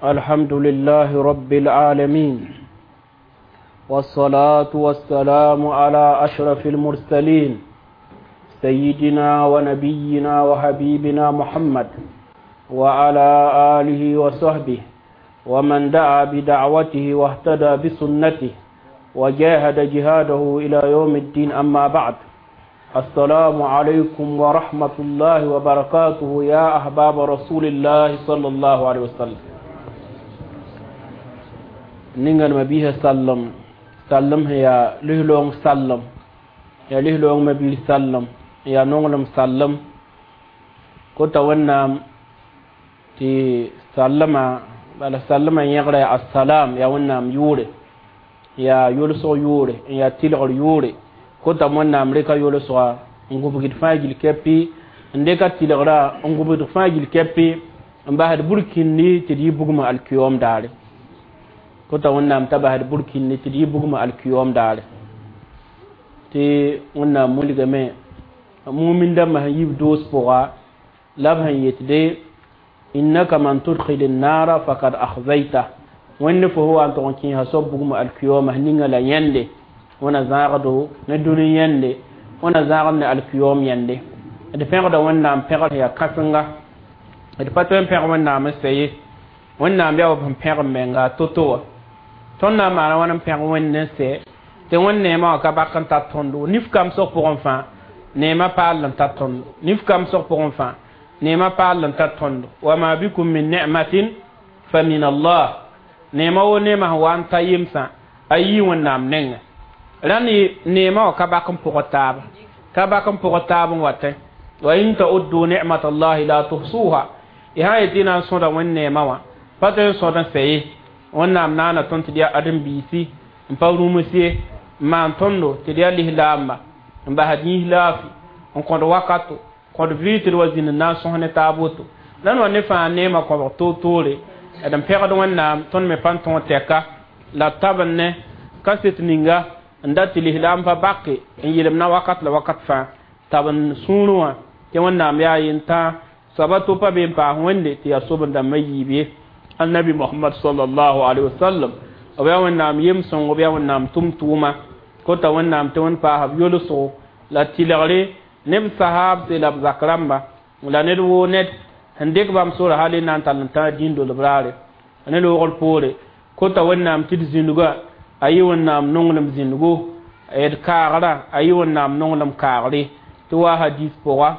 الحمد لله رب العالمين والصلاة والسلام على أشرف المرسلين سيدنا ونبينا وحبيبنا محمد وعلى آله وصحبه ومن دعا بدعوته واهتدى بسنته وجاهد جهاده إلى يوم الدين. أما بعد، السلام عليكم ورحمة الله وبركاته يا أحباب رسول الله صلى الله عليه وسلم. نينغان مبيه سلم سلم هي لهلون سلم يا لهلون مبيه سلم يا نونغلم سلم كوتا ونام تي سلم بل سلم يغرى السلام يا ونام يوري يا يولسو يوري يا تيلغر يوري kota wẽnnaam reka yolsga n gũbgd fãa gil kɛpɩ n dɩka tɩlgra n gũbgd fãa gil kɛpɩ n basd burkindi tɩ d yɩ bugmã alkiyoom daare. Kota wẽnnaam t'a basd burkindi tɩ d yɩ bugmã alkiyoom daare. Tɩ wẽnnaam wilgame mumin dãmbã sẽn yib doos pʋga la b sẽn yetde innaka man tudkhil nara fakad akhzayta wẽnd fo wa n tʋg n kẽesa soab bugmã alkiyooma ninga la yẽnde wẽna zãagdo ne dũni yẽnde wẽna zãagd ne alkiyoom yẽnde. D pẽgda wẽnnaam pẽgr yaa kãsenga d pa tõe n pẽg wẽnnaam n sɛ ye wẽnnaam yaa b sẽn pẽg n menga to-to wã. Tõnd na n maana wãn n pẽg wẽnd n sɛ tɩ wẽnd neemã wã ka bak n tar tõndo nif kamsg pʋgẽ fãa neemã paal n tar tõndo nif kamsg pʋgẽ fãa neemã paal n tar tõndo. Wama bikum min ni'matin fa min Allah neemã wo neemã sẽn wa n ta yemsã a yii wẽnnaam nengẽ. Rãnd neemã wã ka bak n pʋgd taaba ka bak n pʋgd taab n watẽ wa in ta'uddu ni'mat allahi la tuhsuha y sã yetɩ y na n sõda wẽnd neemã wã pa tõe n sõd n sɛ ye. Wẽnnaam naana tõnd tɩ d yaa ãdem-biisi n pa rũms ye n maan tõndo tɩ d yaa lislaamba n basd yĩs laafi n kõd wakato kõd vɩɩ tɩ d wa zĩnd n na n sõs ne taab woto. Rãnd wa ne fãa neemã kõbg toor-toore d n pẽgd wẽnnaam tõnd me pa n tõog tɛka la b tab n ne kaset ninga n dat tɩ lislaam pa bake n yelem na wakat la wakat fãa tab n sũurẽ wã tɩ wẽnnaam yaa yentã soaba to pa be n paas wẽnde tɩ yaa sob-n-dãmbã yiib ye. Annabi Muhammad sallallahu alaihi wasallam b yaa wẽnnaam yem-sõngo b yaa wẽnnaam tʋm-tʋʋma kota wẽnnaam tɩ wẽnd paas b yolsgo la tɩlgre ne b sahaabse la b zak rãmba la ned woo ned sẽn dɩk bãmb sora hal n na n tall n tã dĩn-dolb raare ne loogr poore. Kota wẽnnaam tɩ d zĩndga a yɩ wẽnnaam nonglem zĩndgo d kaagrã a yɩ wẽnnaam nonglem kaagre tɩ wa hadis pʋga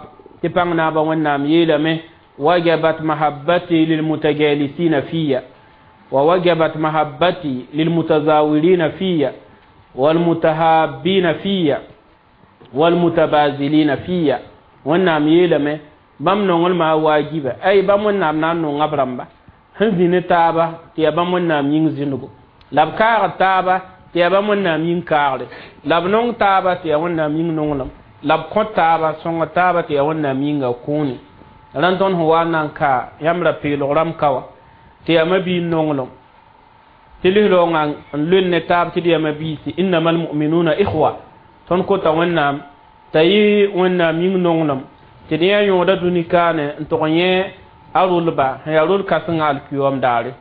tɩ pãng naabã wẽnnaam yeelame wajabat mahabbati lilmutajalisina fiya wa wajabat mahabbati lilmutazawirina fiya walmutahabbina fiya walmutabazilina fiya. Wẽnnaam yeelame bãmb nonglmã waajiba ay bãmb wẽnnaam na n nonga b rãmba sẽn zĩ ne taaba tɩ yaa bãmb wẽnnaam yĩng zĩndgo la b kaagd taaba tɩ yaa bãmb wẽnnaam yĩng kaagre la b nong taaba tɩ yaa wẽnnaam yĩng nonglem la b kõ taaba sõng taaba tɩ yaa wẽnnaam yĩnga kũuni. Rãnd tõnd sẽn wa n na n ka yãmb ra peelg rãmb ka wã tɩ yaa mabiig nonglem tɩ lislaoongã n loen ne taab tɩ d yaa mabiisi innama almuminuna ikhwa. Tõnd kota wẽnnaam t'a yɩ wẽnnaam yĩng nonglem tɩ d yã yõoda dũni kaane n tʋg yẽ a rʋlba sẽn yaa rʋl kãsengã alkiyoom daare.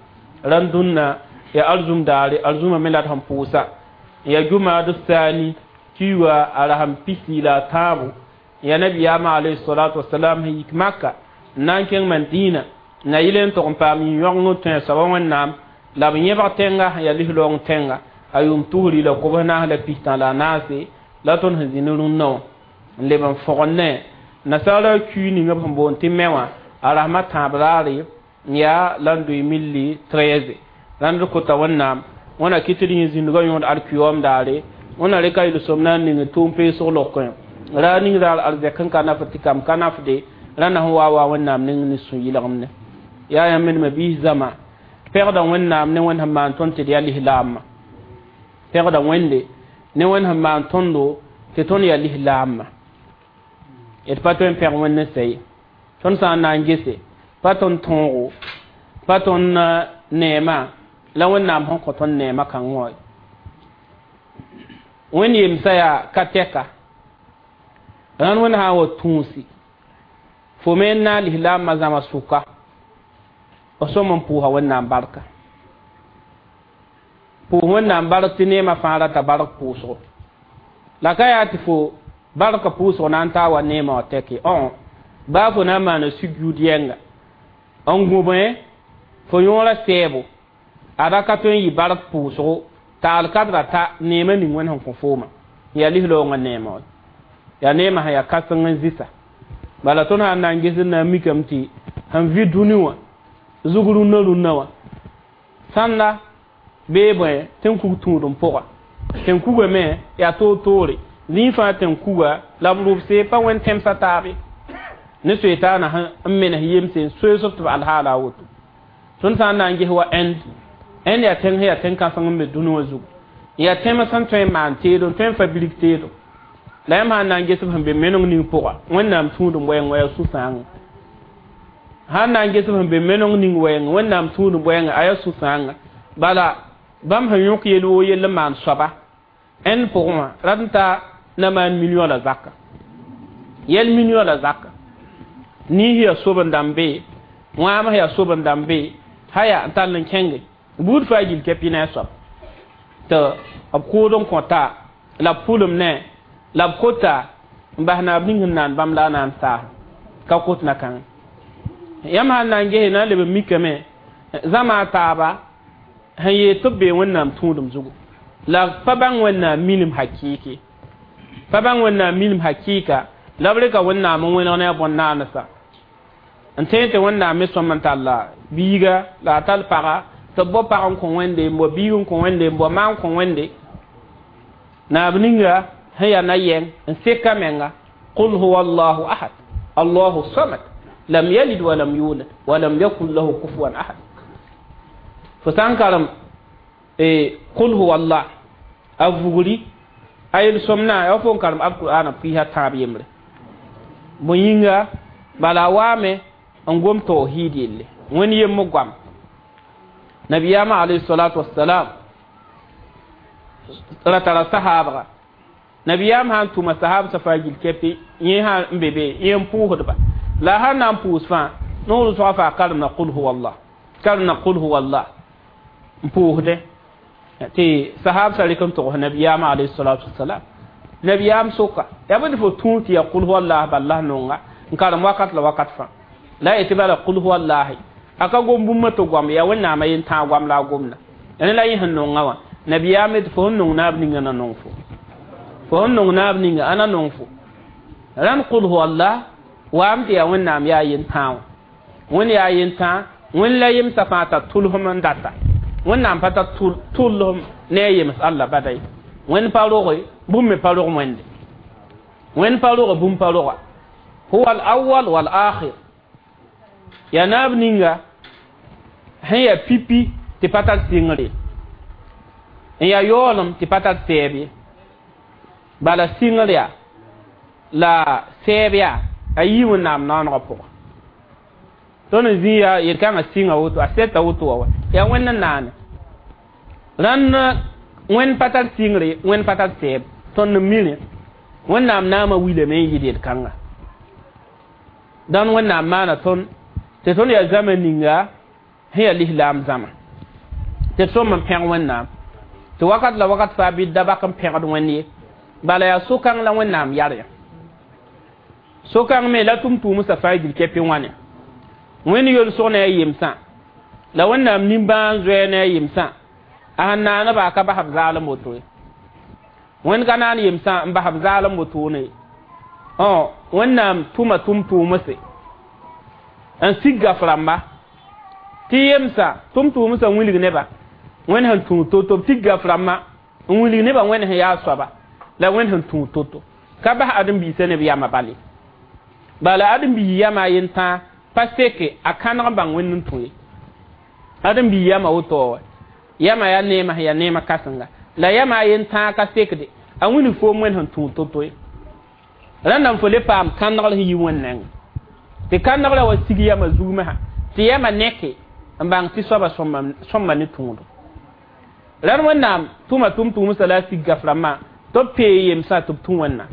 Rãnd dũnna ya arzum daare arzuma me la d sẽn pʋʋsa ya jumaad saani kiuga a rasem pisi la a tãabo ya nabiyaamã alayhi salatu wasalam sẽn yik maka n na n kẽng Madina na yɩl n tʋg n paam yĩn-yõgeng n tõe soaba wẽnnaam la b yẽbg tẽnga sẽn yaa lislaoong tẽnga a yʋʋm tusri la kobs naas la pistã la a naase la tõnd sẽn zĩ ne rũnnã wã n leb n fõgd ne nasaara kui ning b sẽn boond tɩ me wã a rasmã tãab raare yaa la n doe milli 13. Rãnd kota wẽnnaam wẽna kɩ tɩ d yẽ zĩndgã yõod alkiyoom daare wẽna reka yel-sõm na n ning tʋʋm peesg lokẽ ra ning raar arzɛk n ka nafd tɩ kam ka nafde rãnda sẽn wa wa wẽnnaam ning ne sũ-yɩlgemde. Yaa yãmb me mabiis zãma pẽgda wẽnnaam ne wẽnd sẽn maan tõnd tɩ d yaa lislaamã pẽgda wẽnde ne wẽnd sẽn maan tõndo tɩ tõnd yaa lislaamã d pa tõe n pẽg wẽnd n sɛ ye. Tõnd sã n na n gese pa tõnd tõogo pa tõnd neemã la wẽnnaam sẽn kõ tõnd neemã kãngã wã wẽnd yemsã yaa ka tɛka rãnd wẽnd sã n wa tũusi fo me n na n lislaambã zãma sʋka B sõm n pʋʋsa Wẽnnaam barka, pʋʋs Wẽnnaam bark tɩ neemã fãa rata bark pʋʋsgo. La ka yaa tɩ fo barka pʋʋsg na n taa wa neemã wã tɛke õ baa fo na n maana sugud yɛnga n gũbẽ fo yõora sɛɛbo a ra ka tõe n yɩ bark pʋʋsgo t'a alkadra ta neemã ning Wẽnd sẽn kõ fooma yaa lislaoongã neemã wa yaa neemã sẽn yaa kãseng n zɩsa. Bala tõnd sã n na n ges n na n mikame tɩ sẽn vɩ dũni wã zug rũnnã rũnnã wã sãnda bee bõe tẽn-kug tũudem pʋga tẽn-kuga me yaa toor-toore zĩig fãa tẽn-kuga la b rʋbse pa wẽnd tẽmsã taabe ne soetaana n menes yemse n soees b tɩ b alhaala a woto. Tõnd sã n na n ges wa Ẽnd yaa tẽng sẽn yaa tẽn-kãseng n be dũni wã zugu, yaa tẽm sẽn tõe n maan teedo n tõe n fabrik teedo la yãmb sã n na n ges b sẽn be meneng ning pʋga Wẽnnaam tũudem wɛɛng wa yaa sũ-sãanga sã n na n ges b sẽn be meneng ning wɛɛng Wẽnnaam tũudem wɛɛngã a yaa sũ-sãanga. Bala bãmb sẽn yõk yel woo yell n maan soaba Ẽnd pʋgẽ wã rat n ta na maan million la zaka yɛl million la zaka niis yaa sob n dãmb be wãam yaa sob n dãmb be haya n tall n kẽnge buud faa gil kɛpɩ ne a soab tɩ b kʋʋd n kõta la b pʋlem ne la b kota n bas naab ning sẽn naan bãmb la a na n saas ka kot na kãng. Yãmb sã n na n gese na n leb n mikame zãma a taaba sẽn yeel tɩ b bee Wẽnnaam tũudem zugu la pa bãng Wẽnnaam minim hakɩɩke pa bãng Wẽnnaam minim hakɩɩka la b rɩka Wẽnnaam n wẽneg ne a bõn-naandsã n tẽeg tɩ Wẽnnaam me sõm n talla biiga la a tall paga tɩ b bao pag n kõ Wẽnde n bao biig n kõ Wẽnde n bao maan kõ Wẽnde naab ninga sẽn yaa na-yɛng n seka menga qul huwa allahu ahad allahu samad lam yalid wa lam yulad wa lam yakun lahu kufuwan ahad. Fo sã n karem qul huwa allah a vugri a yel-sõmna ya fo n karem alqur'ana pɩɩsa tãab yembre bõe yĩnga bala a waame n gom tawhid yelle Wẽnd yemb goam nabiyaamã alayhi salatu wassalam ra tara sahaabga nabiyaam sã n tʋma sahaab sã faa gil kɛpɩ yẽ sã n be be yẽ n pʋʋsdba la a sã n na n pʋʋs fãa noor soa faa karem na qul huwa allah karem na qul huwa allah n pʋʋsdẽ tɩ sahaab sa rɩk n togs nabiyaamã alayhi salatu wassalam nabiyaam soka yaa bõe tɩ fo tũu tɩ yaa qul huwa allah bala nonga n karem wakat la wakat fãa la yetɩ bala qul huwa allahi a ka gom bũmb tɩ goam yaa Wẽnnaamã yen tãag goam la a gomda rẽ la yẽ sẽn nonga wã nabiyaam tɩ fo sẽn nong naab ninga na nong fo fo sẽn nong naab ninga a na nong fo rãnd qul huwa allah waam tɩ yaa Wẽnnaam yaa yen tãag wã Wẽnd yaa yen tãag Wẽnd la yemsã fãa t'a tʋlsem n data Wẽnnaam pa tar tʋlsem ne a yems Allah bada ye Wẽnd pa roge bũmb me pa rog Wẽnde Wẽnd pa roge bũmb pa roga huwa al-awwal wal-akhir yaa naab ninga sẽn yaa pipi tɩ pa tar sɩngre n yaa yaoolem tɩ pa tar sɛɛb ye bala sɩngr yaa la sɛɛb yaa a yii Wẽnnaam naoonegã pʋgã tõnd n zĩ yaa yel-kãngã sɩnga woto a sɛta woto wa yaa Wẽnd n naane rãnd Wẽnd pa tar sɩngre Wẽnd pa tar sɛɛb tõnd n mi rẽ Wẽnnaam naamã wilame n yɩɩd yel-kãnga dãn Wẽnnaam maana tõnd tɩ tõnd yaa zãma ninga sẽn yaa lislaam zãma tɩ d sõm n pẽg Wẽnnaam tɩ wakat la wakat faa bɩ da bak n pẽgd Wẽnd ye bala yaa so-kãng la Wẽnnaam yar yã so-kãng me la tʋm-tʋʋmsã faa gil kɛpɩ wãne Wẽnd yolsg ne a yemsã la Wẽnnaam nimbãan zoɛɛ ne a yemsã a sẽn naaneba a ka bas b zaalem woto ye Wẽnd ka naan yemsã n bas b zaalem wotone ye Wẽnnaam tʋma tʋm-tʋʋmse n sig gaf rãmba tɩ yemsã tʋm-tʋʋmsã wilg neba Wẽnd sẽn tũud to-to b tig gaf rãmbã n wilg nebã Wẽnd sẽn yaa soaba la Wẽnd sẽn tũud to-to ka bas ãdem-biisã neb yamã bale bala ãdem-biis yamã a yen tãa pa seke a kãneg n bãng Wẽnd n tũ ye ãdem-biis yamã woto wa yamã yaa neemã sẽn yaa neemã kãsenga la yamã a yen tãa ka sekde a wilg foom Wẽnd sẽn tũud to-to ye rãndã n fo le paam kãnegr sẽn yi Wẽnd nengẽ tɩ kãnegrã wa sig yamã zug mesã tɩ yamã neke n bãng tɩ soaba sõmba ne tũudo rãnd Wẽnnaam tʋma tʋm-tʋʋmsã la a sig gaf rãmbã tɩ b pee yemsã tɩ b tũ Wẽnnaam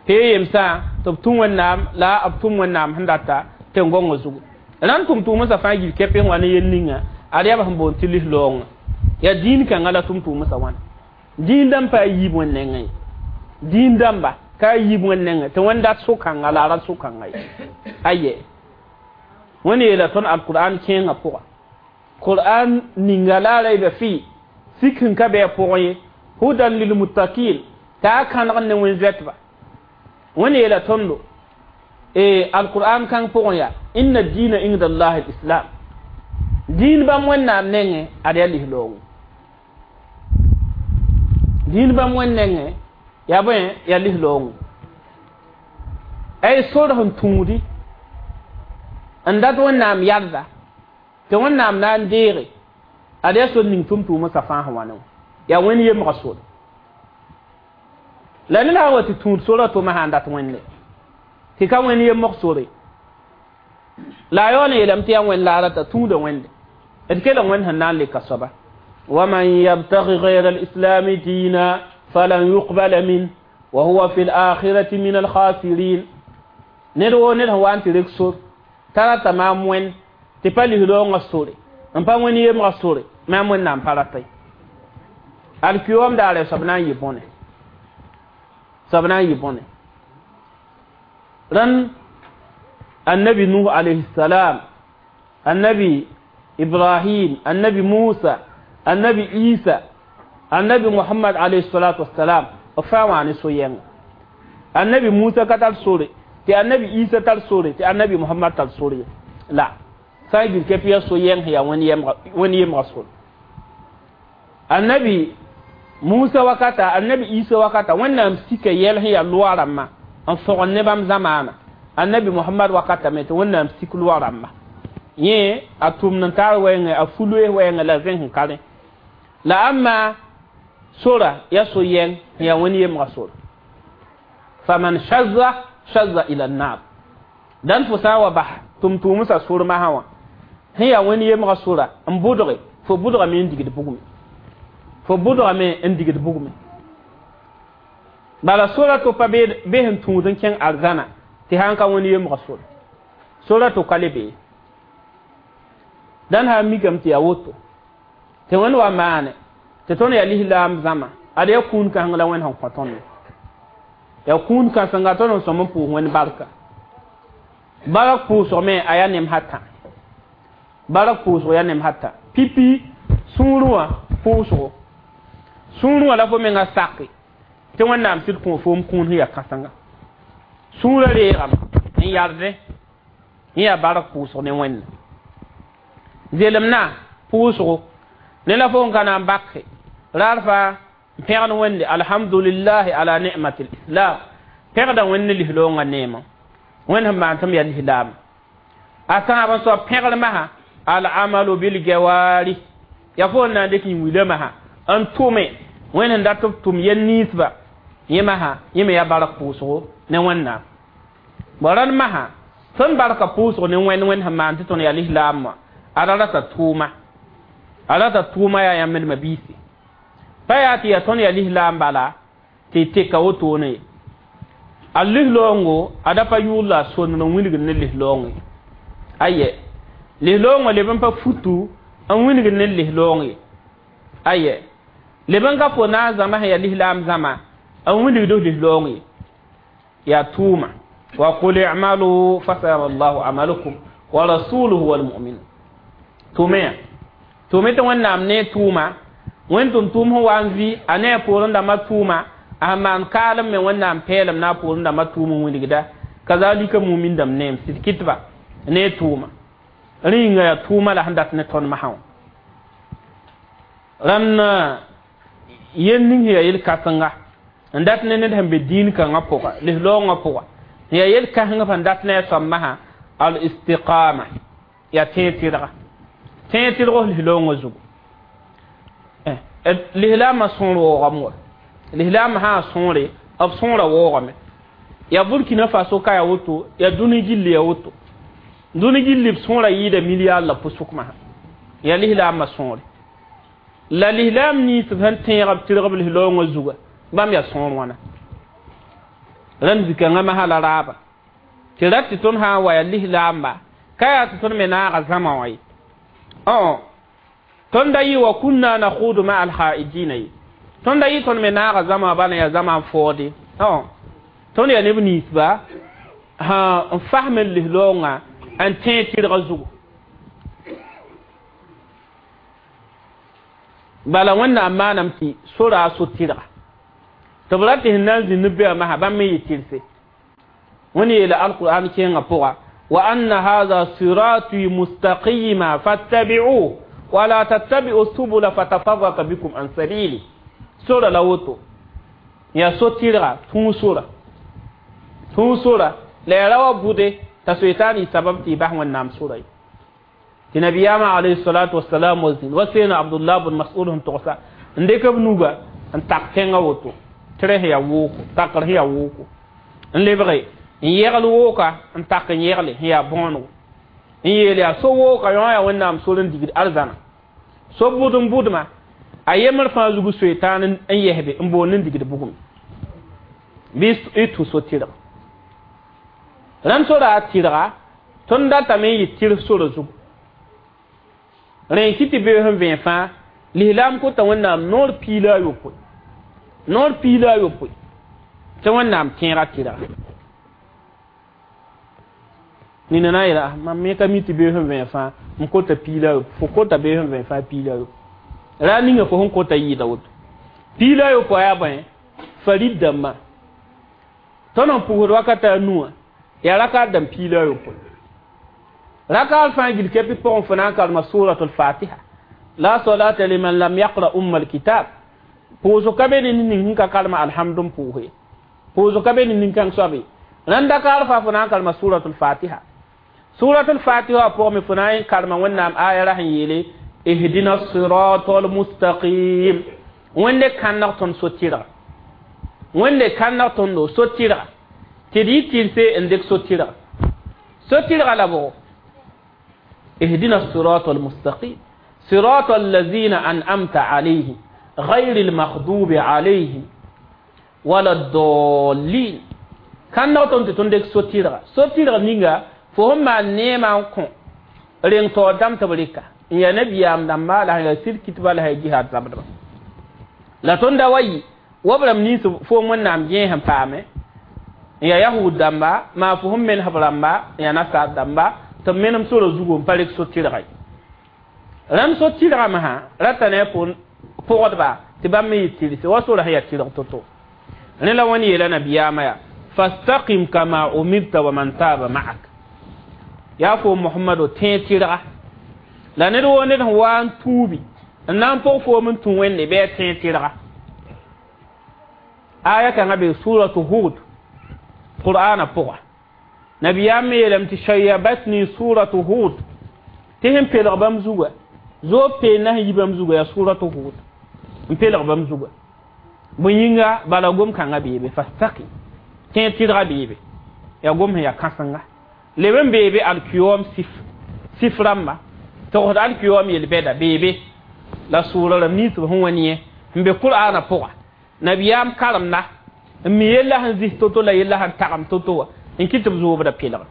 pee yemsã tɩ b tũ Wẽnnaam la b tʋm Wẽnnaam sẽn data tẽn-gõngã zugu Ran tʋm-tʋʋmsã fãa gil kɛpɩ sẽn wa ne yel ninga ad yaa b sẽn boond tɩ lis-loongã yaa dĩin kãngã la tʋm-tʋʋmsã wãna dĩin dãmb pa a yiib wẽnd nengẽ ye dĩin dãmba ka a yiib wẽnd nengẽ tɩ wẽnd dat so-kãnga la a ra so-kãnga ye aye wẽnd yeela tõnd alqur'an kẽengã pʋga qur'an ninga la a rayba fɩ sik sẽn ka bɩ a pʋgẽ ye hudan lilmuttaqin t'a a kãneg ne wẽn-zoɛtba wẽnd yeela tõndo alqur'an kãng pʋgẽ yaa inna diina inda allahi lislam dĩin bãmb wẽnnaam nengẽ ad yaa lis-loongo dĩin bãmb wẽnd nengẽ yaa bõe yaa lis-loongo ay sor sẽn tũudi n dat wẽnnaam yalda tɩ wẽnnaam na n deege ad yaa sor ning tʋm-tʋʋmsã fãa sẽn wa ne wã yaa wẽnd yemga sore la ned sã n wa tɩ tũud sora tʋma sã n dat wẽnde tɩ ka wẽnd yemg sore la a yaool n yeelame tɩ yaa wẽnd la a rata tũuda wẽnde d kelg wẽnd sẽn na n leka soaba ومن يبتغي غير الإسلام دينا فلن يقبل منه وهو في الآخرة من الخاسرين ned woo ned sẽn wa n tɩ rek sor t'a rata maam wẽnd tɩ pa lis-loongã sore n pa wẽnd yemgã sore maam wẽnnaam pa rata ye alkiyoom daare soab na n yɩ bõne soab na n yɩ bõne rãnd annabi nuh alayhi salam annabi ibrahim annabi musa annabi isa annabi muhammad alayhi salatu wassalam b fãa wã ne so-yɛnga annabi musa ka tar sore tɩ annabi isa tar sore tɩ annabi muhammad tar sore ye la sã n gil kɛp yaa so-yɛng sẽn yaa wẽnd yemga sore annabi musa wakata annabi isa wakata wẽnnaam sika yɛl sẽn yaa loa rãmbã n fõgen ne bãmb zamaana annabi muhammad wakata me tɩ wẽnnaam sik loa rãmba yẽ a tʋmd n taar wɛɛngẽ a fu-loees wɛɛngẽ la zẽs n ka rẽ la ãmma sora yaa so-yɛng sẽn yaa wẽnd yemga sora faman shazza shazza ila nnar dãn fo sã n wa bas tʋm-tʋʋmsã sor masã wã sẽn yaa wẽnd yemga sora n bʋdge fo bʋdgame n digd bugme fo bʋdgame n digd bugme bala sora to pa be sẽn tũud n kẽng arzãna tɩ sã n ka wẽnd yemga sora sora to ka le bee dãn sã n mikame tɩ yaa woto tɩ wẽnd wa maane tɩ tõnd yaa lislaam zãma ad yaa kũun kãseng la wẽnd sẽn kõ tõnd yaa kũun kãsenga tõnd n sõm n pʋʋs wẽnd barka barak pʋʋsg me a yaa nem hatã barak pʋʋsg yaa nem hatã pipi sũurẽ wã pʋʋsgo sũurẽ wã la fo menga sake tɩ wẽnnaam sɩd kõ foom kũun sẽn yaa kãsenga sũurã reegame n yardẽ n yaa barak pʋʋsg ne wẽnna zelemna pʋʋsgo ne la fo n ka na n bake raar faa n pẽgd wẽnde alhamdulillahi ala ni'mati lislam pẽgda wẽnd ne lis-loongã neemã wẽnd sẽn maan tɩ m yaa lislaam a tãab n soab pẽgr masã alamalu bilgawari yaa fo n na n dɩk yĩn-wila masã n tʋme wẽnd sẽn dat b tʋm yel ninsba yẽ masã yẽ me yaa bark pʋʋsgo ne wẽnnaam bõ rãnd masã tõnd barka pʋʋsg ne wẽnd wẽnd sẽn maan tɩ tõnd yaa lislaam wã a ra rata tʋʋma a rata tʋʋma yaa yãmb d biisi pa yaa tɩ yaa tõnd yaa lislaam bala tɩ teka wotone ye a lis-loongo a da pa yʋʋl la a sondr n wilgd ne lis-loong ye aye lis-loongã leb n pa futu n wilgd ne lis-loong ye aye leb n ka fo na n zãma sẽn yaa lislaam zãma n wilgd lis-loong ye yaa tʋʋma wa qul i'malu fasayara allahu amalakum wa rasuluhu walmu'minun tʋme ya tʋme tɩ wẽnnaam ne tʋʋma wẽnd tʋm tʋʋm sẽn wa n vɩ a ne a poorẽ dãmbã tʋʋma a maan kaalem me wẽnnaam peelem na a poorẽ dãmbã tʋʋm n wilgda kazalika mumin dãmb neem sɩd kɩtba ne tʋʋma rẽ yĩnga yaa tʋʋma la sẽn dat ne tõnd masã wã rãnd yel ning sẽn yaa yel-kãsenga n dat ne ned sẽn be dĩin kãngã pʋga lis-loongã pʋga sẽn yaa yel-kãseng sẽn dat ne a soab masã al istiqama yaa tẽeg tɩrga tẽeg tɩrg lis-loongã zugu lislaamã sõor waoogame wa lislaamã sã n sõore b sõora waoogame yaa burkina faso ka yaa woto yaa dũni gilli yaa woto dũni gilli b sõora yɩɩda milliard la pʋsʋk masã yaa lislaamã sõore la lislaam ninsb sẽn tẽeg b tɩrg b lis-loongã zuga bãmb yaa sõor wãna rãnd zikãngã masã la raaba tɩ rat tɩ tõnd sã n wa yaa lislaamba Ka yaa tɩ tõnd me naaga zãma wã ye. Tõnd da yɩ wa kunna nakhudu ma alhaidina ye. Tõnd da yɩ tõnd me naaga zãma wã bala yaa zãma n foode. Tõnd yaa neb ninsba n fasm n lis-loongã n tẽeg tɩrgã zugu. Bala Wẽnnaam maaname tɩ sora a so-tɩrga. Tɩ b ra tɩ sẽn na n zĩnd ne bɛa masã bãmb me yɩ tɩrse. Wẽnd yeela alqur'an kẽengã pʋga wa anna hadha sirati mustaqima fattabi'uhu wa la tattabi'u subula fatafarraqa bikum an sabili. Sora la woto yaa so-tɩrga tũu sora. Tũu sora la yaa ra wa bʋde t'a soetaan yɩ sabab tɩ y bas Wẽnnaam sora ye. Tɩ nabiyaamã alayhi salatu wasalam wa zĩnd wa seena Abdullah bn Mas'ud sẽn togsa n dɩk b nuga n tak tẽngã woto tɩ rẽ sẽn yaa wooko takr sẽn yaa wooko n lebge n yegl wooka n tak n yegle sẽn yaa bõonego n yeel yaa so wooka yõ yaa Wẽnnaam sor n digd arzãna so bʋd n bʋdma a yembr fãa zugu soetaan n yɛsbe n boond n digd bugum bɩ y tũ so-tɩrga. Rãnd sora a tɩrga tõnd datame n yɩ tɩrs sora zugu. Rẽ n kɩ tɩ beoos n vẽe fãa lislaam kota Wẽnnaam noor 28. Noor 28 tɩ Wẽnnaam tẽega tɩrga. Nina na n yeela mam me ka mi tɩ beoos n vẽe fãa n kota 28 fo kota beoos n vẽe fãa 28. Ra ninga fo sẽn kota yɩɩda woto. 28 yaa bõe farid dãmbã. Tõnd n pʋgsd wakata a nuwã yaa rakat dãmb 28. Rakat fãa gil kepi pʋgẽ fo na n karema suratul fatiha. La salata liman lam yaqra umma alkitab. Pʋʋsg ka be ne ning sẽn ka karema alhamdu n pʋʋse. Pʋʋsg ka be ne nin-kãng soab ye. Rãnd dakar fãa fo na n karema suratul fatiha. Suratul fatiha pʋgẽ me fo na n karema Wẽnnaam aya ra sẽn yeele ihdina siratal mustaqim. Wẽnde kãneg tõnd so-tɩrga. Wẽnde kãneg tõndo so-tɩrga. Tɩ d yɩ tɩrse n dɩk so-tɩrga. So-tɩrga la bʋgo ihdina siratal mustaqim siratal lazina an'amta alayhim ghayril maghdubi alayhim wala ddallin. Kãneg tõnd tɩ tõnd dɩk so-tɩrga. So-tɩrga ninga fo sẽn maan neemã n kõ reng taoor dãmb tɩ b rɩka n yaa nabiyaam dãmba la sẽn yaa sir-kitba la sẽn yaa jihaad zabdba. La tõnd da wa yɩ wa b rãmb nins foom Wẽnnaam gẽes n paame n yaa yahud dãmba maa fo sẽn menesb rãmba n yaa nasaar dãmba tɩ b menem sora zugu n pa rɩk so-tɩrga ye. Rãmb so-tɩrgã masã rata ne a pʋgdba tɩ bãmb me yɩ tɩrse wa sora sẽn yaa tɩrg to-to. Rẽ la wẽnd yeela nabiyaamã yaa fastaqim kama umirta wa man taaba ma'ak. Yaa fo Muhammado tẽeg tɩrga la ned woo ned sẽn wa n tuubi n na n pʋg foom n tũ Wẽnde bɩ a tẽeg tɩrga. Aya kãngã be suratu Hud Qur'ana pʋga. Nabiyaam me yeelame tɩ shayabatni suratu Hud tɩ sẽn pelg bãmb zugã zoog peendã sẽn yi bãmb zugã yaa suratu Hud n pelg bãmb zugã. Bõe yĩnga bala gom-kãngã beebe fastaqim tẽeg tɩrga beebe yaa gom sẽn yaa kãsenga leb n beebe alkiyoom sif rãmba togsd alkiyoom yel-bɛda beebe la sʋʋra rãmb nins b sẽn wa yẽ n be Qur'ana pʋga. Nabiyaam karemda n mi yella sẽn zis to-to la yella sẽn tagem to-to wã n kɩ tɩ b zoobda pelgem.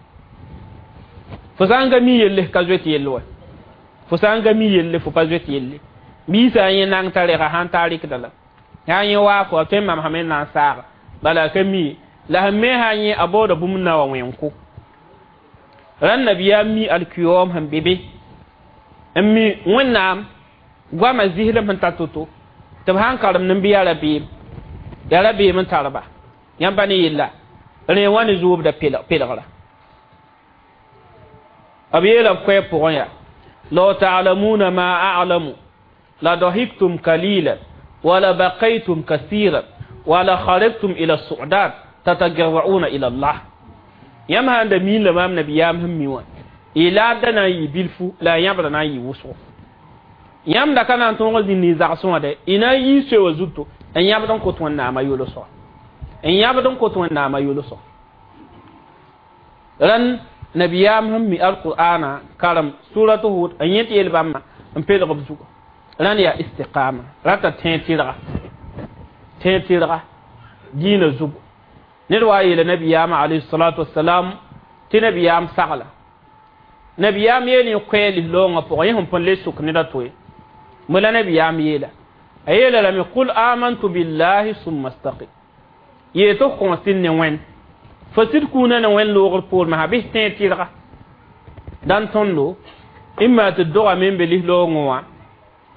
Fo sã n ka mi yelle ka zoet yell wa. Fo sã n ka mi yelle fo pa zoet yelle. Biisã yẽ nang t'a rega sãn t'a rɩkda la. Sã yẽ waa fo a tõe n mamsame n na n saaga bala a ka mi ye. La sẽn me sã yẽ a baooda bũmb na wa wẽn-ko. Rãnd nabiyaam mi alkiyoom sẽn be be n mi Wẽnnaam goamã zislem sẽn ta to-to tɩ b sã n karem ne bɩ yaa rabeem yaa rabeem n tar ba yãmb pa ne yella rẽ wã ne zoobda pelgra. B yeela b koɛɛg pʋgẽ yaa law ta'lamuna ma a'lamu la dahiktum qalilan wa la baqaytum kasiran wa la kharajtum ila su'dat tatajarra'una ila Allah. Yãmb sã n da miin la maam nabiyaam sẽn mi wã y laadda na n yɩ bilfu la a yãbra na n yɩ wʋsgo. Yãmb da ka na n tõog n zĩnd y zagsẽ wã dɛ y na n yii soe wã zuto n yãbd n kot Wẽnnaamã yolsga. N yãbd n kot Wẽnnaamã yolsga. Rãnd nabiyaam sẽn mi alqur'ana karem suratu Hud n yẽ tɩ yel bãmba n pelg b zuga. Rãnd yaa istiqama rata tẽeg tɩrga tẽeg tɩrga diinã zugu. Ned wa a yeela nabiyaamã alayhi salatu wasalam tɩ nabiyaam sagla Nabiyaam yeel koɛɛ lislaoongã pʋgã yẽ sẽn põn le sʋk ned a to ye mo la nabiyaam yeela a yeela lame qul amantu billahi summa staqim yee tɩ f kõos ne wẽnd fo sɩd kũunã ne wẽnd loogr poor masã bɩ tẽeg tɩrga dãn tõndo imma tɩ dogame n be lislaoongẽ wã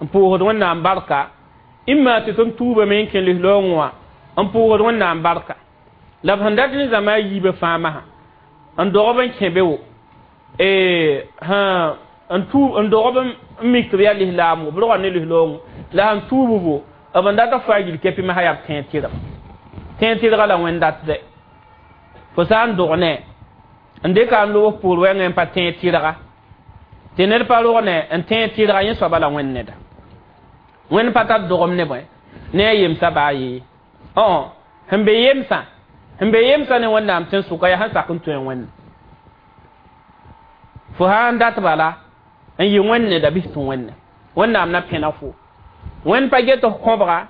n pʋʋsd wẽnnaam barka imma tɩ tõnd tuubame n kẽ lislaoongẽ wã n pʋʋsd wẽnnaam barka la b sẽn dat ne zãma a yiibã fãa masã n dogb n kẽ be wo n dogb n mik tɩ b yaa lislaam b rogã ne lislaoongẽ la sẽn tuub bo b n dat f faa gil kɛpɩ masã yaa b tẽeg tɩrg tẽeg tɩrga la wẽnd datdɛ fo sã n dog ne n dɩka n loog poor wɛngẽ n pa tẽeg tɩrga tɩ ned pa rog ne n tẽeg tɩrga yẽ soaba la wẽnd neda wẽnd pa tar dogem ne bõe ne a yemsã baa yee sẽn be yemsã ne wẽnnaam tẽn-sʋka yaa sẽn sak n tõe wẽnde fo sã n dat bala n yɩ wẽnd neda bɩs tɩ wẽnde wẽnnaam na pẽna fo wẽnd pa get f kõbga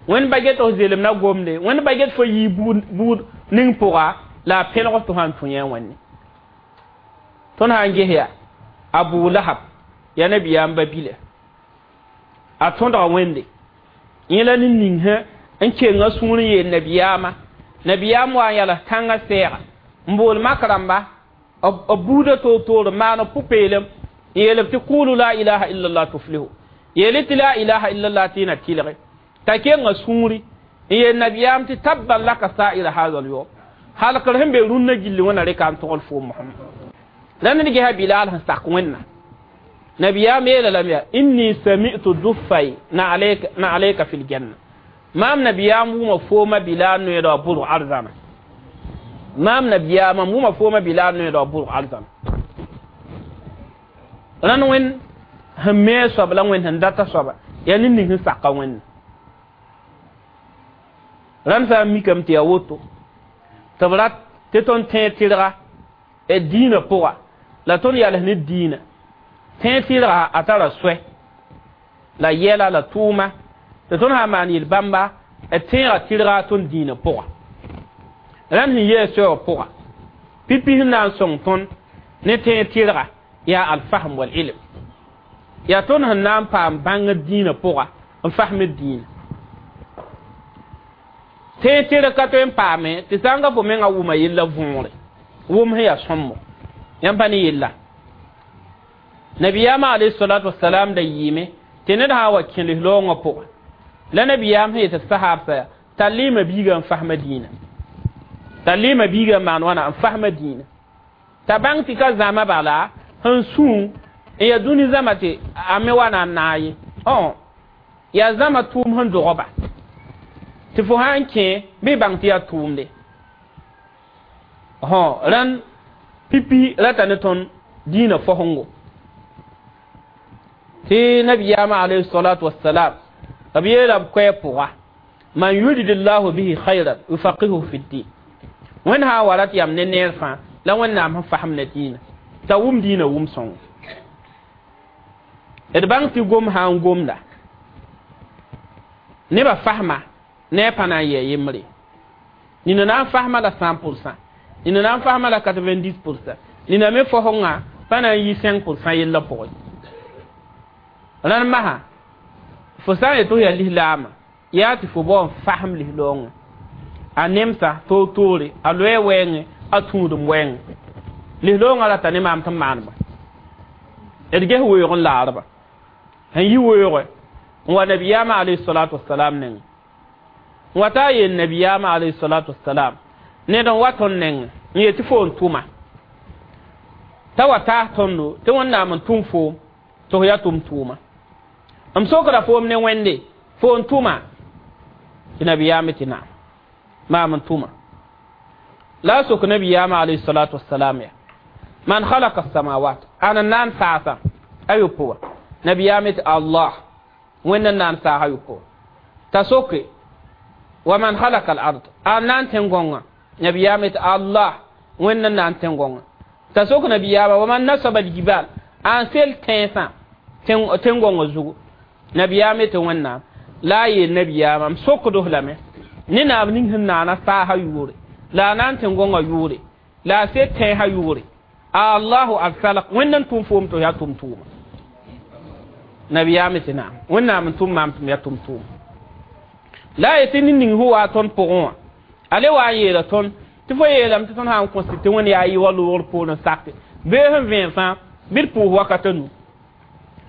wẽnd pa get f zelem na gomde wẽnd pa get fo yii buud ning pʋga la a pẽlg tɩ sã n tũ yẽ wẽnde tõnd sã n ges yaa Abu Lahab yaa nabiyaam ba bila a tõdga wẽnde yẽ la ne ning sã n kenga sũur n yeel nabiyaamã nabiyaam wa n yals tãngã sɛɛga n bool mak rãmba b buudã toor-toor n maan b pʋ-peelem n yeel b tɩ kʋʋlu la ilaha illallah tuflihu yeel tɩ la ilaha illallah tɩ y na tɩlge t'a kenga sũuri n yeel nabiyaam tɩ tabban laka sa'ira hadha al-yawm halkr sẽn be rũnnã gilli wẽna reka n togl foom Muhammad la ned gesa Bilal sẽn sak wẽnna nabiyaam yeela lame yaa inni sami'tu duffay na alayka fil janna maam nabiyaam wʋma fooma Bilal noeeda wa bʋrg arzãna maam nabiyaamã wʋma fooma Bilal noeeda wa bʋrg arzãna rãnd wẽnd sẽn me a soab la wẽnd sẽn data soaba yaa ned ning sẽn saka wẽnna rãnd sã n mikame tɩ yaa woto tɩ b rat tɩ tõnd tẽeg tɩrga diinã pʋga la tõnd yals ne diinã tẽeg tɩrga a tara soɛ la yɛla la tʋʋma tɩ tõnd sã n maan yel-bãmba d tẽega tɩrga tõnd diinã pʋga rãnd sẽn yee soɛ wã pʋga pipi sẽn na n sõng tõnd ne tẽeg tɩrga yaa alfahm wal ilm yaa tõnd sẽn na n paam bãngr diinã pʋga n fasmd diinã tẽeg tɩrg ka tõe n paame tɩ sã n ga fo mengã wʋma yella võore wʋm sẽn yaa sõmbo yãmb pa ne yella nabiyaamã alayhi salatu wasalam da yɩɩme tɩ ned sã n wa kẽ lislaoongã pʋga la nabiyaam sẽn yetɩ sahaabsã yaa tall-y biigã n fasma diinã tall-y biigã n maan wãna n fasma diinã t'a bãng tɩ ka zãma bala sẽn sũ n yaa dũni zãma tɩ a me wa na n naag ye yaa zãma tʋʋm sẽn dogba tɩ fo sã n kẽ bɩ bãng tɩ yaa tʋʋmde rãnd pipi rata ne tõnd diinã fosẽngo tɩ nabiyaamã alayhi salatu wassalam b yeela b koɛɛ pʋga man yuridillahu bihi khayran yufaqihuhu fi ddin wẽnd sã n wa rat yam ne neer fãa la wẽnnaam sẽn fasem ne diinã t'a wʋm diinã wʋm sõngo d bãng tɩ gom sã n gomda nebã fasma ne a pa na n yɩ a yembre nina na n fasma la 100%, nina na n fasma la 90%, nina me fosengã pa na n yɩ 5% yellã pʋgẽ rãnd masã fo sã n yet tɩ f yaa lislaamã yaa tɩ fo bao n fasem lislaoongẽ a nemsa toor-toore a loɛɛ wɛɛngẽ a tũudem wɛɛngẽ lislaoongã rata ne maam tɩ n maan bã d ges weoog n laarba sẽn yi weoogẽ n wa nabiyaamã alayhi salatu wasalam nengẽ n wa taa yeel nabiyaamã alayhi salatu wasalam ned n wa tõnd nengẽ n yet tɩ fo n tʋma t'a wa taas tõndo tɩ wẽnnaam n tʋm foom tɩ f yaa tʋm tʋʋma m sokra foom ne wẽnde fo n tʋma tɩ nabiyaamã tɩ naam maam n tʋma la a sok nabiyaamã alayhi salatu wasalam yaa man khalaqa as-samawat ana naan saasa ayopoa nabiyaamã tɩ Allah wẽnd n naan saas ayopoa t'a soke wa man khalaqa al-ard a naan tẽn-gõngã nabiyaamã tɩ Allah wẽnd n naan tẽn-gõngã t'a sok nabiyaamã wa man nasaba al-jibal a n sel tẽnsã tẽn-gõngã zugu nabiyaamã tɩ wẽnnaam la a yeel nabiyaamã m sokd-f lame ne naab ning sẽn naana saasã yʋʋre la a naan tẽn-gõngã yʋʋre la a sel tẽnsã yʋʋre Allahu arsalak wẽnd n tʋm foom tɩ ya tʋm tʋʋma nabiyaame tɩ naam wẽnnaam n tʋm maam tɩ m ya tʋm tʋʋma la a yetɩ ned ning sẽn waa tõnd pʋgẽ wã a le wa n yeela tõnd tɩ fo yeelame tɩ tõnd sã n kõs tɩ wẽnd yaa yɩ wa loogr poorẽ sake bee sẽn vẽen fãa bɩ d pʋʋs wakat a nu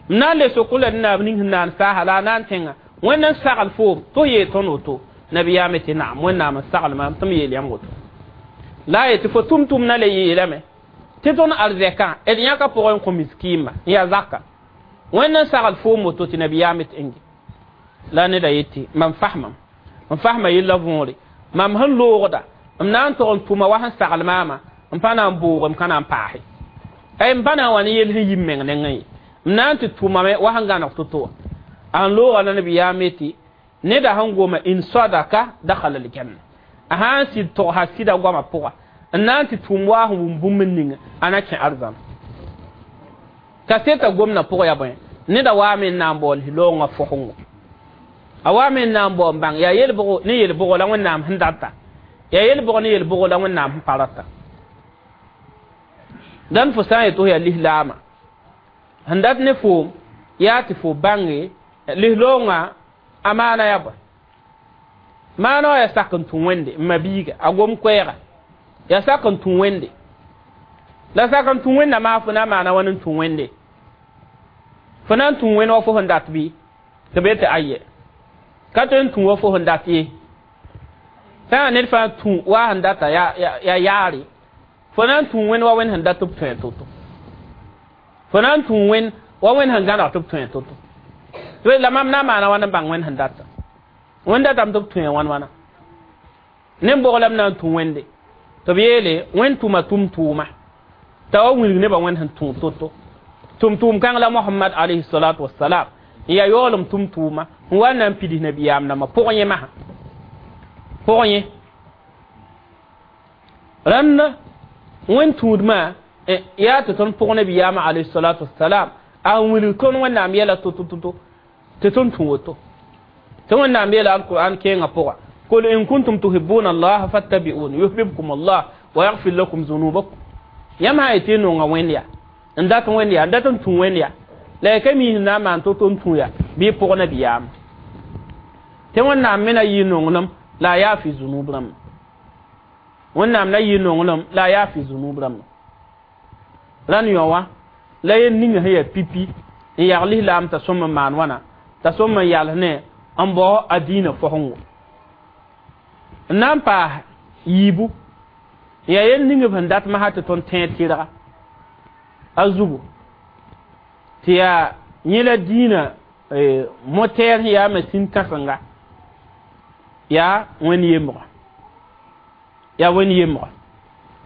m na n le sok la naab ning sẽn naan saasa la a na n tẽnga wẽnd n sagl foom tɩ f yeel tõnd woto nabiyaame tɩ naam wẽnnaam n sagl maam tɩ m yeel yãmb woto la a yetɩ fo tʋm-tʋmdã le yeelame tɩ tõnd arzɛkã d yãka pʋgẽ n kõ miskiimba n yaa zaka wẽnd n sagl foom woto tɩ nabiyaame tɩ ẽnge la neda yetɩ mam fasmam n fasma yella võore mam sẽn loogda m na n tog n tʋma wa sẽn sagl maama n pa na n boog m ka na n paase m pa na n wa ne yel sẽn yi m meng nengẽ ye m na n tɩ tʋmame wa sẽn gãneg to-to wã a n looga la nabiyaame tɩ neda sẽn goma in sadaka dakhala aljanna a sã n sɩd togsa sɩda goamã pʋga n na n tɩ tʋʋm waa sẽn wʋm bũmb n ninga a na kẽ arzãna kaseta gomdã pʋg yaa bõe neda waame n na n baool loongã fosẽngo a waame n na n bao n bãng yaa yel-bʋgo ne yel-bʋgo la wẽnnaam sẽn data yaa yel-bʋg ne yel-bʋgo la wẽnnaam sẽn pa rata dãn fo sã n yet fo yaa lislaama sẽn dat ne foom yaa tɩ fo bãnge lislaoongã a maana yaa bõe maana wã yaa sak n tũ wẽnde n ma biiga a gom koɛɛga yaa sak n tũ wẽnde la sak n tũ wẽnda maa fo na n maana wãn n tũ wẽnde fo na n tũ wẽnd wa fo sẽn dat bɩ tɩ b yetɩ aye ka tõe n tũ wa fo sẽn dat ye sã ned fãa tũ wa sẽn data ya yaare fo na n tũ wẽnd wa wẽnd sẽn dat tɩ b tõe to-to fo na n tũ wẽnd wa wẽnd sẽn gãneg tɩ b tõe to-to la mam na n maana wãn n bãng wẽnd sẽn data wẽnd datame tɩ b tõe wãn wãna nen-bog la m na n tũ wẽnde tɩ b yeele wẽnd tʋma tʋm-tʋʋma t'a wa wilg nebã wẽnd sẽn tũ to-to tʋm-tʋʋm kãng la Mohamad alayhi salatu wassalam n yaa yaoolem tʋm-tʋʋma n wa n na n pids nabiyaam dãmbã pʋgẽ yẽ masã pʋgẽ yẽ rãnd wẽnd tũudmã yaa tɩ tõnd pʋg nabiyaamã alayhi salatu wassalam a n wilg tõnd wẽnnaam yɛla to-to-to tɩ tõnd tũ woto tɩ wẽnnaam yeela alquran kẽengã pʋga قل إن كنتم تحبون الله فاتبعون يحببكم الله ويغفر لكم ذنوبكم yãmb sã yetɩ y nonga wẽnd yaa n dat wẽnd yaa n dat n tũ wẽnd yaa la ya ka mi sẽn na n maan to-to n tũ yaa bɩ y pʋg nabiyaam tɩ wẽnnaam me na yɩ nonglem la a yaa fɩ zunub rãmba wẽnnaam na yɩ nonglem la a yaa fɩ zunub rãmba rãnd yõ wã la yel ninga sẽn yaa pipi n yag lislaam t'a sõm n maan wãna t'a sõm n yals ne n bao a diinã fosẽngo n na n paas yiibu yaa yel ning b sẽn dat masã tɩ tõnd tẽed tɩrga a zugu tɩ yaa yẽ la diinã motɛɛr sẽn yaa masin kãsenga yaa wẽnd yembga yaa wẽnd yembga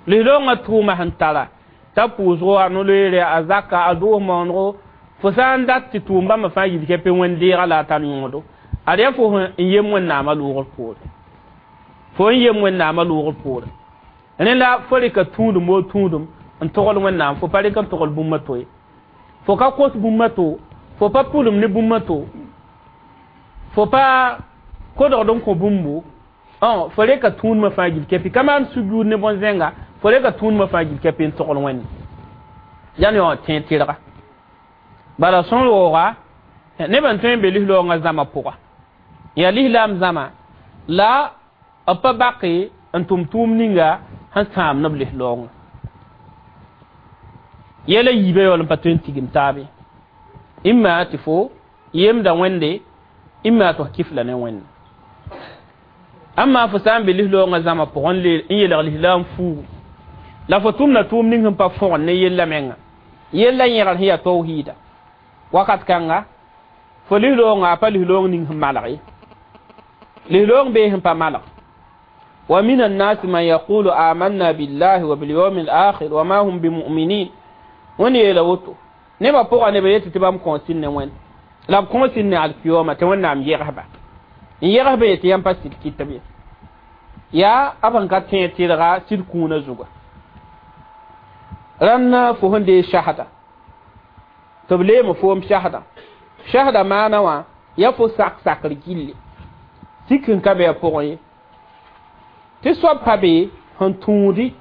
lislaoongã tʋʋma sẽn tara t'a pʋʋsgo a no-loeere a zaka a doos maonego fo sã n dat tɩ tʋʋm bãmba fãa yil kɛpɩ wẽnd deega la a tar yõodo ad yaa fo n yem wẽnnaamã loogr poore fo n yem wẽnnaamã loogr poore rẽ la fo rɩka tũudum woo tũudum n togl wẽnnaam fo pa rɩk n togl bũmb to ye fo ka kos bũmb to fo pa pʋlem ne bũmb to fo pa kodgd n kõ bũmbu fo rɩka tũudmã fãa gil kɛpɩ ka maan sujuud ne bõn-zẽnga fo rɩka tũudmã fãa gil kɛpɩ n togl wẽnde yaa ne wã tẽed tɩrga bala sõn rooga nebã n tõe n be lislaoongã zãma pʋga yaa lislaam zãma la b pa bake n tʋm tʋʋm ninga sẽn sãam neb lislaoongã yɛla yiibã yaool n pa tõe n tigim taabe imma tɩ fo yemda wẽnde imma tɩ f kifla ne wẽnde amma fo sã n be lislaoongã zãma pʋgẽ n yelg lislaam fuugu la fo tʋmda tʋʋm ning sẽn pa fõgen ne yella menga yella yẽgr sẽn yaa tawhiida wakat kãnga fo lislaoongã a pa lislaoong ning sẽn malg ye lislaoong bee sẽn pa malg ومن الناس من يقول آمنا بالله وباليوم الآخر وما هم بمؤمنين wẽnd yeela woto nebã pʋga neb yetɩ tɩ bãmb kõos ne wẽnd la b kõos ne alkiyoma tɩ wẽnnaam yegsba n yegsba yetɩ yãmb pa sɩd kɩtb ye yaa b sẽn ka tẽed tɩrga sɩd kũunã zuga rãnd fo sẽn dee shahda tɩ b leeme foom shahda shahda maana wã yaa fo sak sakr gilli sik n ka be a pʋgẽ ye tɩ soab pa be sẽn tũudi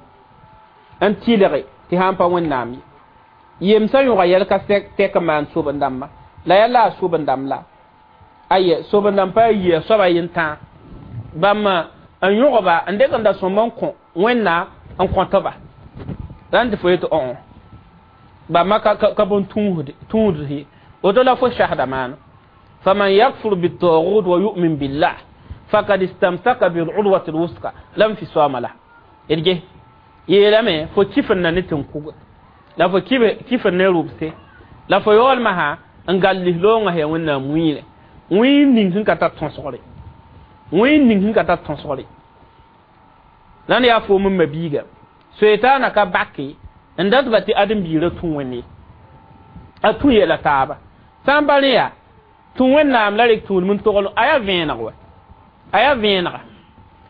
n tɩlge Tɩ sã n pa Wẽnnaam ye yemsã yõga yɛl ka tɛk n maan soben-dãmba la yaa la a soben-dãmb la aye soben-dãmb pa yia soaba yentãag bãmb n yõgba n dɩk n da sõmb n kõ Wẽnnaam n kõtba la n tɩ fo yetɩ õ bãmba ka bõn tũud ye woto la fo sasda maana faman yakfur bitagut wa yu'min billah faqad istamsaka bil urwati al-wusqa lam fisama la irge yeelame fo kifin na ne tɩ la fo kifin ne rʋbse la fo yaoolma sã n gal lislaoongã yaa Wẽnnaam wĩire wĩig ning sẽn ka tar tõsgre wĩig ning sẽn ka tar tõsgre la n yaa foom n ma biiga soetaana ka bake n dat ba tɩ ãdem-biirã tũ Wẽnde a tũ yɛla taaba sã n pa rẽ yaa tũ Wẽnnaam la rek tũudem n togl a yaa vẽeneg wa a yaa vẽenega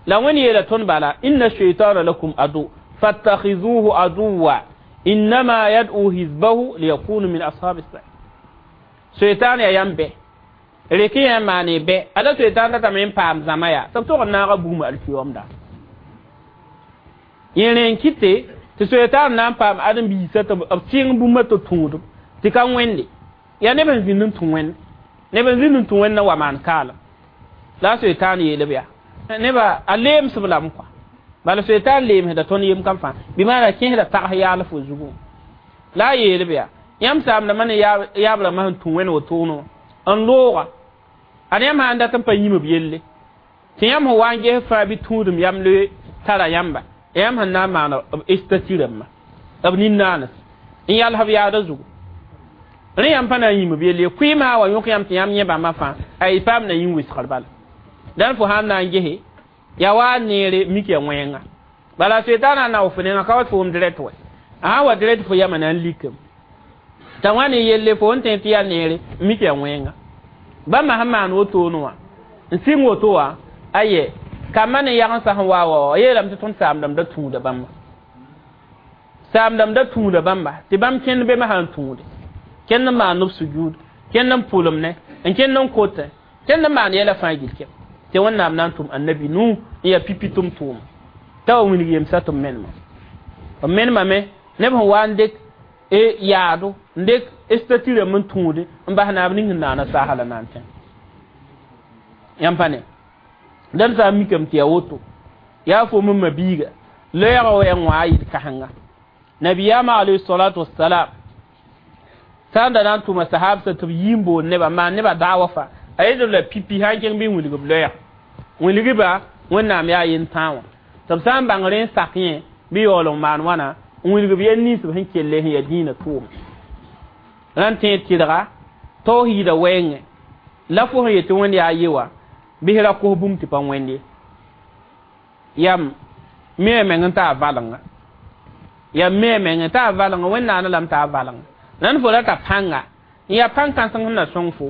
la Wẽnd yeela tõnd bala inna shaitana lakum adu fattakhizuhu aduwa innama yad'u hizbahu liyakunu min ashabi as-sa'ir soetaan yaa yãmb bɛ rek yã n maane bɛ ala soetaan datame n paam zãma yaa tɩ b tog n naaga bugum alkiyomda yẽ rẽ n kɩte tɩ soetaan na n paam ãdem-biisã tɩ b sɩng bũmba tɩ tũudem tɩ ka wẽnde yaa neb n zĩnd n tũ Wẽnd neb n zĩnd n tũ Wẽnd na wa maan kaalem la a soetaan yeel b yaa neba a leemsb lame kɔa bala soetaan leemsda tõnd yem kam fãa bɩ maana kẽesda tags yaal fo zugu la a yeel b yaa yãmb saamdãmbã ne yaab rãmbã sẽn tũ Wẽnd wotone n looga ad yãmb sã n dat n pa yĩm b yelle tɩ yãmb sẽn wa n ges fãa bɩ tũudem yam le tara yãmba yãmb sẽn na n maan b stati rãmbã b nin-naanes n yals b yaada zugu rẽ yãmb pa na n yĩm b yelle kʋɩɩmã wa yõk yãmb tɩ yãmb yẽ bãmba fãa a y paam na yĩn wɩsgr bala dãn fo sãn na n gese yaa wa neere mik ya wẽnga bala soetaana na fo nenga ka wa tɩ fo wʋm direct wa a sã wa direct fo yama na n likame t'a wã ne yelle fo n tẽ tɩ yaa neere mik ya wẽnga bãmba sẽn maan wotone wã n sɩng woto wã aye kambã ne yagensã sẽn wa wa yeelame tɩ tõnd saamdame da tũuda bãmba saamdame da tũuda bãmba tɩ bãmb kẽnd be sã n tũude kẽnd n maan b sujud kẽnd n pʋlem ne n kẽnd n kote kẽnd n maan yɛla fãa gil kɛm tɩ Wẽnnaam na n tʋm annabi Nu n yaa pipi tʋm tʋʋma t'a wa wilg yemsã tɩ b menema b menemame neb sẽn wa n dɩk yaado n dɩk stati rãmb n tũude n bas naab ning sẽn naana saasa la na n tẽ yãmb pa ne dãn sã n mikame tɩ yaa woto yaa fo m ma biiga loɛɛgã wa yaa wã a yɩl kãsenga nabiyaamã alayhi salatu wassalam sã n da na n tʋma sahabsã tɩ b yi n boond nebã n maan nebã daawa fãa a yetb la pipi sã n kẽng bɩ n wilg b loɛɛg wilg-ba Wẽnnaam yaa yentãag wã tɩ b sã n bãng rẽ n sak yẽ bɩ yaool n maan wãna n wilg b yel nins b sẽn kelle sẽn yaa dĩinã tʋʋma rãn tẽed tɩrga tawhiida wɛɛngẽ la fo sẽn yetɩ Wẽnd yaa ye wã bɩs ra kos bũmb tɩ pa wẽnd ye yam me meng n taa valenga yam me meng n taa valenga Wẽnnaam lame taa valenga rãnd fo rata pãnga n yaa pãng kãseng sẽn na sõng fo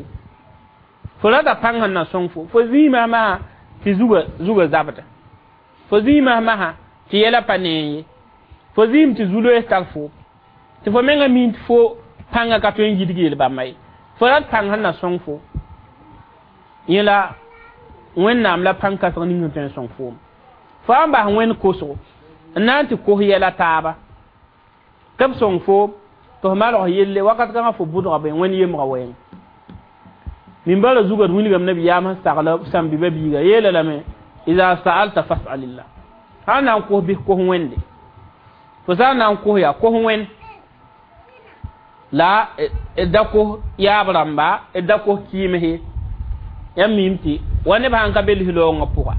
fo rata pãng sẽn na sõng fo fo zĩigã masã tɩ zuga zabda fo zĩigã masã tɩ yɛla pa nee ye fo zĩim tɩ zu-loees tar fo tɩ fo menga miin tɩ fo pãngã ka tõe n yidg yel bãmba ye fo rat pãng sẽn na sõng fo yẽ la Wẽnnaam la pãng kãseng ning sẽn tõe n sõng foom fo sã n bas Wẽnd kosgo n na n tɩ kos yɛla taaba tɩ b sõng foom tɩ f malg yelle wakat kãngã fo bʋdga be Wẽnd yemga wɛɛng minbara zuga d wilgame nabiyaam sẽn sagla sãmb-biba biiga yeela lame ida sa'alta fas'alillah sã n na n kos bɩs kos Wẽnde fo sã n na n kos yaa kos Wẽnd la da kos yaab rãmba da kos kɩɩms yãmb miime tɩ wa neb sãn ka be lislaoongã pʋga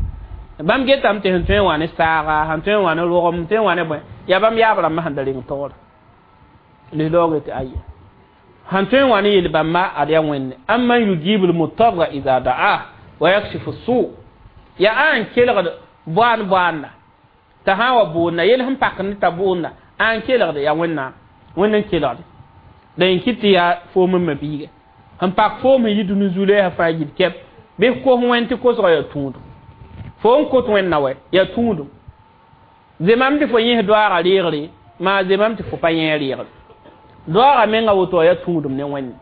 bãmb getame tɩ sẽn tõe n wã ne saaga sẽn tõe n wã ne rogem tõe n wã ne bõe yaa bãmb yaab rãmbã sẽn da reng taoora lislaoongã tɩ aya sẽn tõe n wã ne yel bãmba ad yaa Wẽnde amman yujibu lmutarra ida da'ah wa yakshifu su yaa a n kelgd boaan boaanda t'a sã n wa boonda yel sẽn pak ne t'a boonda a n kelgde yaa Wẽnnaam Wẽnd n kelgde la yẽ kɩt tɩ yaa foom n ma biiga sẽn pak foom sẽn yi dũni zu-loeesã fãa yil kɛp bɩ kos Wẽnd tɩ kosgã yaa tũudum fo n kot Wẽnna wɛ yaa tũudum zemam tɩ fo yẽs doaagã reegre maa zemam tɩ fo pa yẽ reegre doaagã menga woto yaa tũudum ne Wẽnde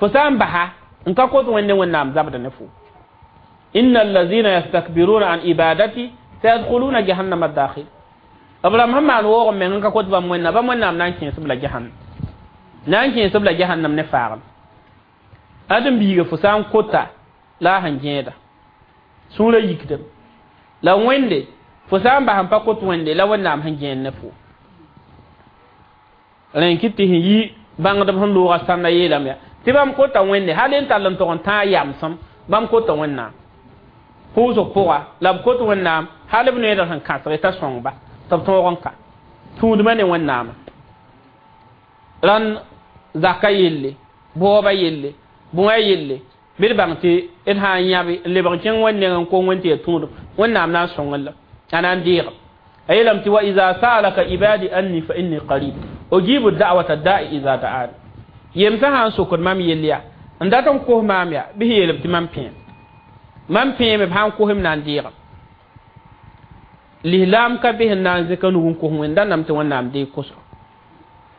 fo sã n basa n ka kot Wẽnde Wẽnnaam zabda ne fo inna allazina yastakbiruna an ibadati sayadkhuluna jahannama dakhil Abraham sẽn maan woog n meng n ka kot bãmb wẽnnaam bãmb wẽnnaam na n kẽes-b la jahannam na n kẽes-b la jahannam ne faagem ãdem-biiga fo sã n kota la a sẽn gẽeda sũurã yikdem la wẽnde fo sã n bas n pa kot wẽnde la wẽnnaam sẽn gẽed ne fo rẽ kɩ tɩ sẽn yi bãngdb sẽn looga sãnda yeelame yaa tɩ bãmb kota wẽnde hal n tall n tog n tãag yamsem bãmb kota wẽnnaam pʋʋsg pʋga la b kot wẽnnaam hal b needg sẽn kãsg t'a sõngba tɩ b tõog n ka tũudmã ne wẽnnaamã rãnd zaka yelle baooba yelle bõe yelle bɩ d bãng tɩ d sã n yãbe n lebg kẽng wẽnd nengẽ n kong wẽnd tɩ yaa tũudem wẽnnaam na n sõngr la a na n deegem a yeelame tɩ wa iza saalaka ibadi anni fa inni qarib ujibu da'wata da'i iza da'ani yemsã sã n sokd mam yell yaa n dat n kos maam yaa bɩ sẽn yeelb tɩ mam pẽem mam pẽeme b sã n kosem na n deegem lislaam ka be sẽn na n zẽka nug n kos wẽnd da nam tɩ wẽnnaam deeg kosgo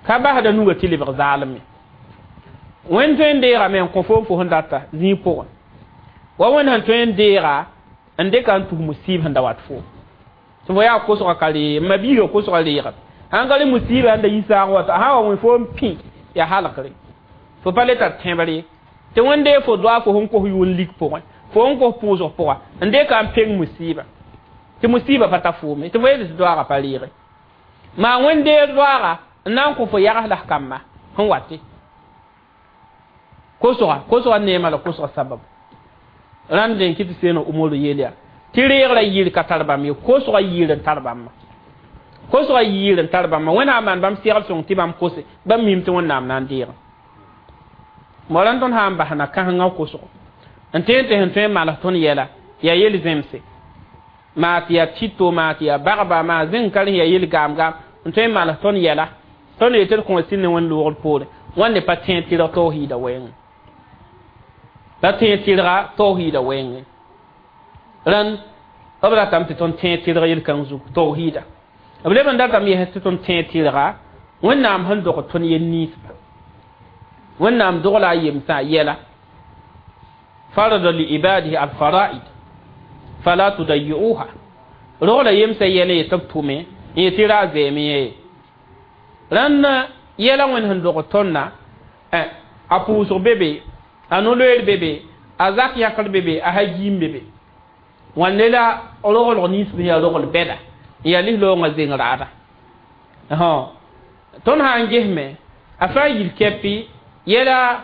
ka basda nuga tɩ lebg zaalem ye wẽnd tõe n deegame n kõ foom fo sẽn data zĩig pʋgẽ wa wẽnd sẽn tõe n deega n dɩka n tus musiib sẽn da wat foom tɩ fo yaa kosgã ka reeg ma biiga kosgã reegame sãn ka rẽ musiiba n da yi saag wata sã wa wẽ foom pĩ yaa halgre fo pa le tar tẽbr ye tɩ wẽnd dee fo doa fo sẽn kos yʋʋn lik pʋgẽ fo sẽn kos pʋʋsg pʋga n dɩka n peng musiiba tɩ musiiba pa ta foome tɩ fo yeel tɩ doaagã pa reege maa wẽnd deer doaaga n na n kõ fo yags la f kamba sẽn wate kosga kosga neema la kosga sabab rãnd n kɩ tɩ seena umaru yeel yaa tɩ reegrã yɩɩr ka tar bãmb ye kosga yɩɩr n tar bãmba kosga yɩɩr n tar bãmba wẽnnaam maan bãmb segl sõng tɩ bãmb kose bãmb mim tɩ wẽnnaam na n deegẽ mo rãnd tõnd sã n basna kãsengã kosgo n tõe n tɩ sẽn tõe n mals tõnd yɛla yaa yel zẽmse maa tɩ yaa tito maa tɩ yaa bagba maa zẽng ka rẽ yaa yel gaam-gaam n tõe n mals tõnd yɛla tõnd yetɩ d kõ sɩd ne wẽnd loogr poore wãnde pa tẽeg tɩrg tawhiida wɛɛngẽ pa tẽeg tɩrga tawhiida wɛɛngẽ rãnd b ratame tɩ tõnd tẽeg tɩrg yel-kãng zug tawhiida b leb n datame yɛs tɩ tõnd tẽeg tɩrga wẽnnaam sẽn dog tõnd yel ninsba wẽnnaam dogla a yemsã yɛla farada li ibadihi alfaraid fala tudayi'uha rogla yemsã yɛla yetɩ b tʋme n yetɩ ra a zɛɛme ye rãnd yɛla wẽnd sẽn dog tõnda a pʋʋsg be be a no-loeer be be a zak yãkr be be a hagiim be be wãnde la roglg nins sẽn yaa rogl bɛda n yaa lis-loongã zeng raada tõnd sã n gesme a fãa yil kɛpɩ yɛla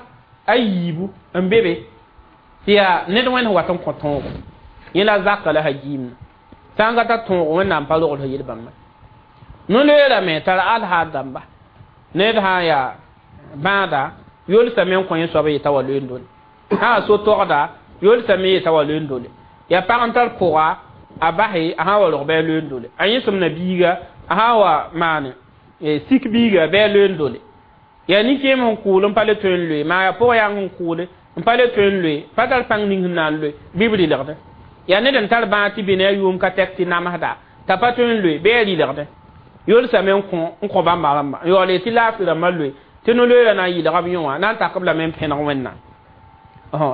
a yiibu n be be tɩ yaa ned wẽnd sẽn wat n kõ tõogo yẽ la zaka la hagiimna sã n ka tar tõogo wẽnnaam pa rogl sẽn yel bãmba no-loeerame tara alhaal dãmba ned sã n yaa bãada yolsame n kõ yẽ soab yeta wa loeen dole sã so togda yolsame yeta wa loeen dole yaa pag n tar pʋga a base a sã wa rog bɩ a loeen dole a yẽsem na biiga a sã wa maane sik biiga bɩ a loeen dole yaa nin-kẽem sẽn kʋʋl n pa le tõe n loe maa yaa pʋg yãng sẽn kʋʋle n pa le tõe n loe pa tar pãng ning sẽn na n loe bɩ b rɩlgdẽ yaa ned n tar bãag tɩ be ne a yʋʋm ka tɛk tɩ namsda t'a pa tõe n loe bɩ a rɩlgdẽ yolsame n kõ bãmba rãmba n yaool tɩ laafɩ rãmbã loe tɩ no-loeerã na n yɩlga b yõ wã na n tak b lame n pẽneg wẽnnaam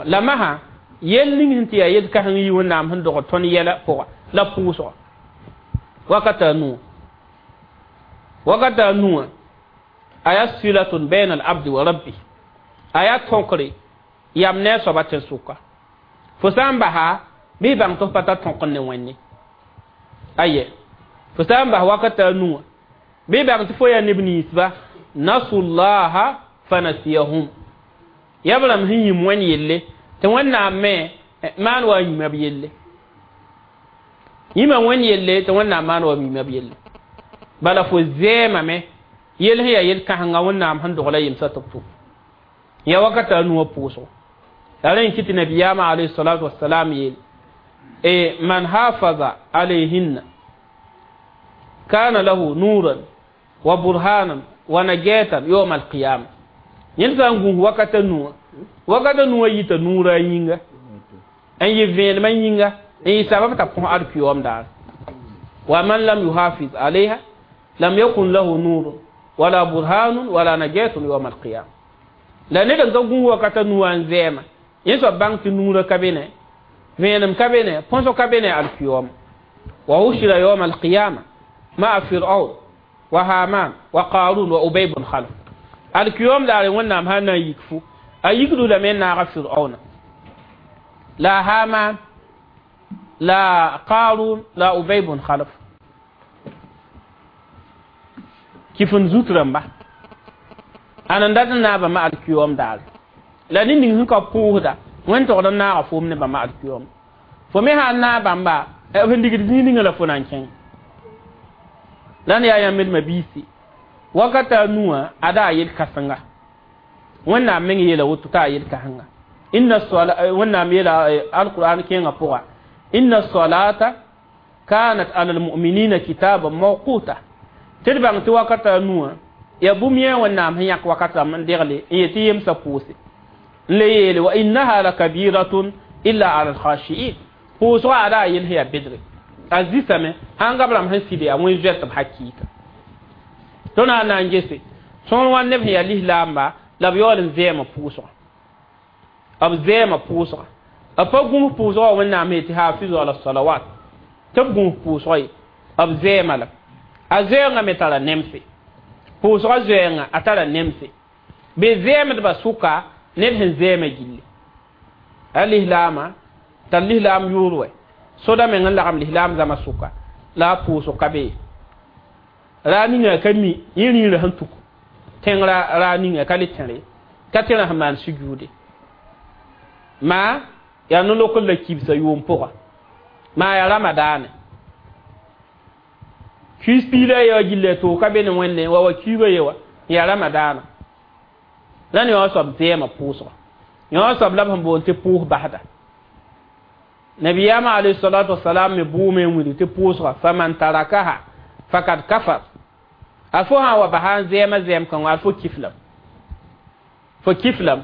la masã yel ning sẽn tɩ yaa yel kãseng yi wẽnnaam sẽn dog tõnd yɛla pʋga la pʋʋsga wakata a nuwã a yaa silatun baina al abdi wa rabbi a yaa tõkre yam ne a soaba tẽn-sʋka fo sã n basa bɩ bãng tɩ f pa tar tõk n ne wẽnde aye fo sã n bas wakata a nuwã bɩ bãng tɩ fo yaa neb ninsba nasullaha fanasiyahum yaa b rãmb sẽn yĩm wẽnd yelle tɩ wẽnnaam me maan wa yĩma b yelle yĩma wẽnd yelle tɩ wẽnnaam maan wa yĩma b yelle bala fo zɛɛmame yel sẽn yaa yel kãsenga wẽnnaam sẽn dogla yemsã tɩ b tʋm ya wakata a nuwã pʋʋsgo la rẽ n kɩ tɩ nabiyaamã alayhi salatu wasalam yeel e man hafaza alayhinna kana lahu nuran wa burhanan wa najatan yawm alqiyama yẽnd sã n gũus wakata nuwã wakata nuwã yita nuurã a yĩnga n yɩ vẽenemã yĩnga n yɩ sabab t'a põs alkiyoom daar wa man lam yuhafiz alayha lam yakun lahu nurun wala burhanun wala najatun yawm alqiyama la ned n ka gũus wakata nuwã n zɛɛma yẽ soab bãng tɩ nuurã ka be ne vẽenem ka be ne põsg ka be ne alkiyoom wa hushira yawm alqiyama Ma Fir'aun wa Haman wa Qarun wa Ubay bin Khalaf. Alkiyom daare wẽnnaam sã na n yik fu a yikdu lame n naaga Fir'auna la Haman la Qarun la Ubay bin Khalaf kifin zut rãmba ana n dat n naaba ma alkiyom daare la ned ning sẽn ka pʋʋsda wẽn togd n naaga foom ne bãmba alkiyom fo me sã n naag bãmba b sẽn digd zĩig ninga la fo na n kẽng la n yaa yãmb d mabiisi wakata a nuwã ada a yel-kãsenga wẽnnaam meng yeela woto t'a a yel-kãsenga inna sola wẽnnaam yeela alquran kẽengã pʋga inna solata kanat ala almu'minina kitaban mawquta tɩ d bãng tɩ wakata a nuwã ya bũmb yẽ wẽnnaam sẽn yãk wakat rãmb n degle n yetɩ yemsã pʋʋse n le yeele wa innaha lakabiratun illa ala alkhashiin pʋʋsgã ada a yel sẽn yaa bedre a zisame sãn gab rãmb sẽn sɩd yaa wẽn zoɛtb hakɩɩka tõnd na n na n gese sõor wã neb sẽn yaa lislaamba la b yaool n zɛɛmã pʋʋsga b zɛɛmã pʋʋsga b pa gũus pʋʋsga wa wẽnnaam sẽn tɩ hafizu ala salawat tɩ b gũus pʋʋsga ye b zɛɛmã la a zoɛɛngã me tara nemse pʋʋsga zoɛɛngã a tara nemse be zɛɛmdbã sʋka ned sẽn zɛɛmã gilli a lislaamã tar lislaam yʋʋr wɛ soda meng n lagem lislaam zãma sʋka la a pʋʋsg ka be raa ninga ka mi yẽ rĩirã sẽn tuk tẽng raa ninga ka le tẽre ka tẽrã sẽn maan sujuude maa yaa no-lokr la kibsa yʋʋm pʋga maa yaa ramadaane kiis piila yewa gilla toog ka be ne wẽnde wa wa kiuga yewa yaa ramadaana la ne yõ soab zɛɛmã pʋʋsga yõ soab la b sẽn boond tɩ pʋʋs basda nabiyama alayhi salatu wasalam me bʋʋme n wilg tɩ pʋʋsga faman tarakaha fakad kafar a fo sã n wa basa n zɛɛmã zɛɛm kãngã ad fo kiflam fo kiflam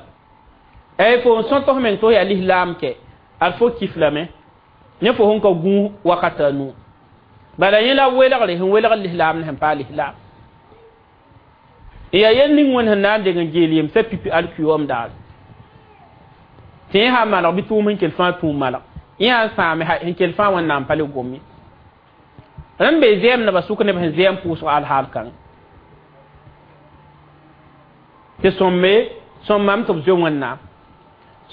ay fo n sõt f meng tɩ f yaa lislaam kɛ ad fo kiflame ne fo sẽn ka gũus wakata a nuu bala yẽ la welgre sẽn welg lislaam ne sẽn paa lislaam n yaa yel ning wẽnd sẽn na n deng n geel yemsã pipi alkiyom daare tɩ yẽ sã maneg bɩ tʋʋm sẽn kell fãa tũum maneg yẽ sã n sãame sẽn kell fãa wẽnnaam pa le gom ye rẽnd be zɛɛmdbã sʋk neb sẽn zɛɛm pʋʋsg alhaal kãng tɩ sõmbe sõmmame tɩ b zoe wẽnnaam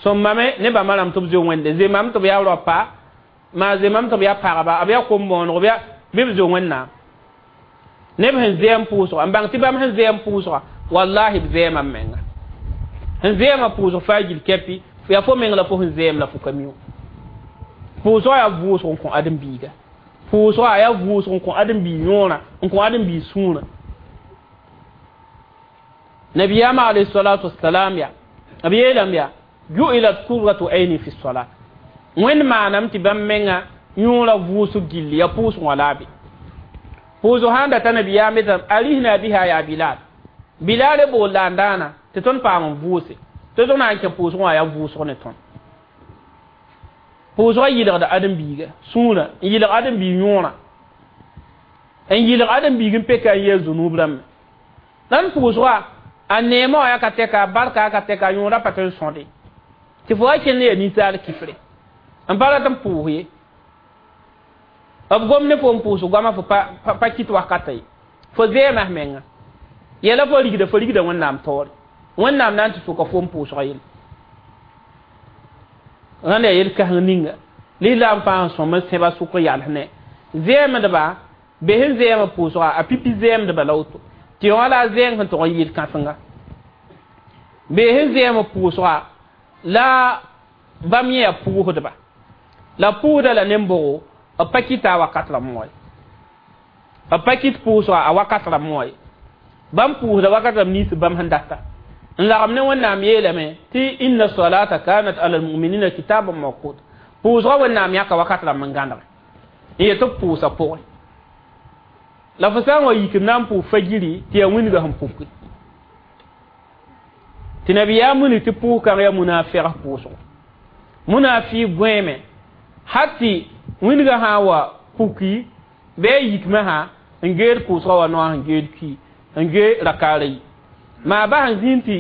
sõmmame ne bãmba rãmb tɩ b zoe wẽnde zemame tɩ b yaa raopa maa zemame tɩ b yaa pagba b yaa kom-bõonego bɩ b zoe wẽnnaam neb sẽn zɛɛm pʋʋsga n bãng tɩ bãmb sẽn zɛɛm pʋʋsga wallahi b zɛɛma m menga sẽn zɛɛmã pʋʋsg faa gil kɛpɩ yaa fo meng la fo sẽn zɛɛm la fo ka mi wã pʋʋsga yaa vʋʋsg n kõ ãdem-biiga pʋʋsga yaa vʋʋsg n kõ ãdem-biig yõorã n kõ ãdem-biig sũurã nabiyama alayhi salatu wassalam ya b yeelame yaa ju'ilat qurratu ayni fi salat wẽnd maaname tɩ bãmb menga yõorã vʋʋsg gilli yaa pʋʋsg wã la a be pʋʋsg sã n data nabiyaam yetame arihna biha yaa Bilal Bilal bool la n daana tɩ tõnd paam n vʋʋse tɩ tʋg na n kẽ pʋʋsg wã yaa vʋʋsg ne tõnd pʋʋsgã yɩlgda ãdem-biiga sũurã n yɩlg ãdem-biig yõorã n yɩlg ãdem-biig n peka n yɛl zunub rãmbe la n pʋʋsga a neemã wã yaa ka tɛka a barka a ka tɛka a yõorã pa tɩ n sõde tɩ fo wa kẽnd yaa ninsaal kifre n pa rat n pʋʋs ye b gom ne fo n pʋʋs goamã fo pa kɩt wakata ye fo zɛɛmã f menga yɛla fo rigda fo rigda wẽnnaam taoore wẽnnaam na n tɩ soka fo n pʋʋsga yelle rãnd yaa yel-kãseng ninga lislaam fãa sẽn sõm n sẽba sʋk yals ne zɛɛmdba be sẽn zɛɛmã pʋʋsga a pipi zɛɛmdba la woto tɩ yõ la a zɛɛng sẽn tog n yɩl kãsenga be sẽn zɛɛmã pʋʋsga la bãmb yẽ yaa pʋʋsdba la pʋʋsda la nembogo b pa kɩta a wakat rãmb wã ye b pa kɩt pʋʋsga a wakat rãmb wã ye bãmb pʋʋsda wakat rãmb nins bãmb sẽn data n lagem ne wẽnnaam yeelame tɩ inna salata kanat ala almuminina kitaban mawqut pʋʋsga wẽnnaam yãka wakat rãmb n gãnege n yet b pʋʋsa pʋgẽ la fo sã n wa yik n na n pʋʋs fagiri tɩ yaa wĩnga sẽn puki tɩ nabiyaam wilg tɩ pʋʋs kãng yaa munafɩg pʋʋsgo munafi gõeeme hal tɩ wĩnga sã n wa puki bɩ a yikmã sã n geed pʋʋsga wa noa sẽn geed ki n ge rakaara yi maa bas n zĩnd tɩ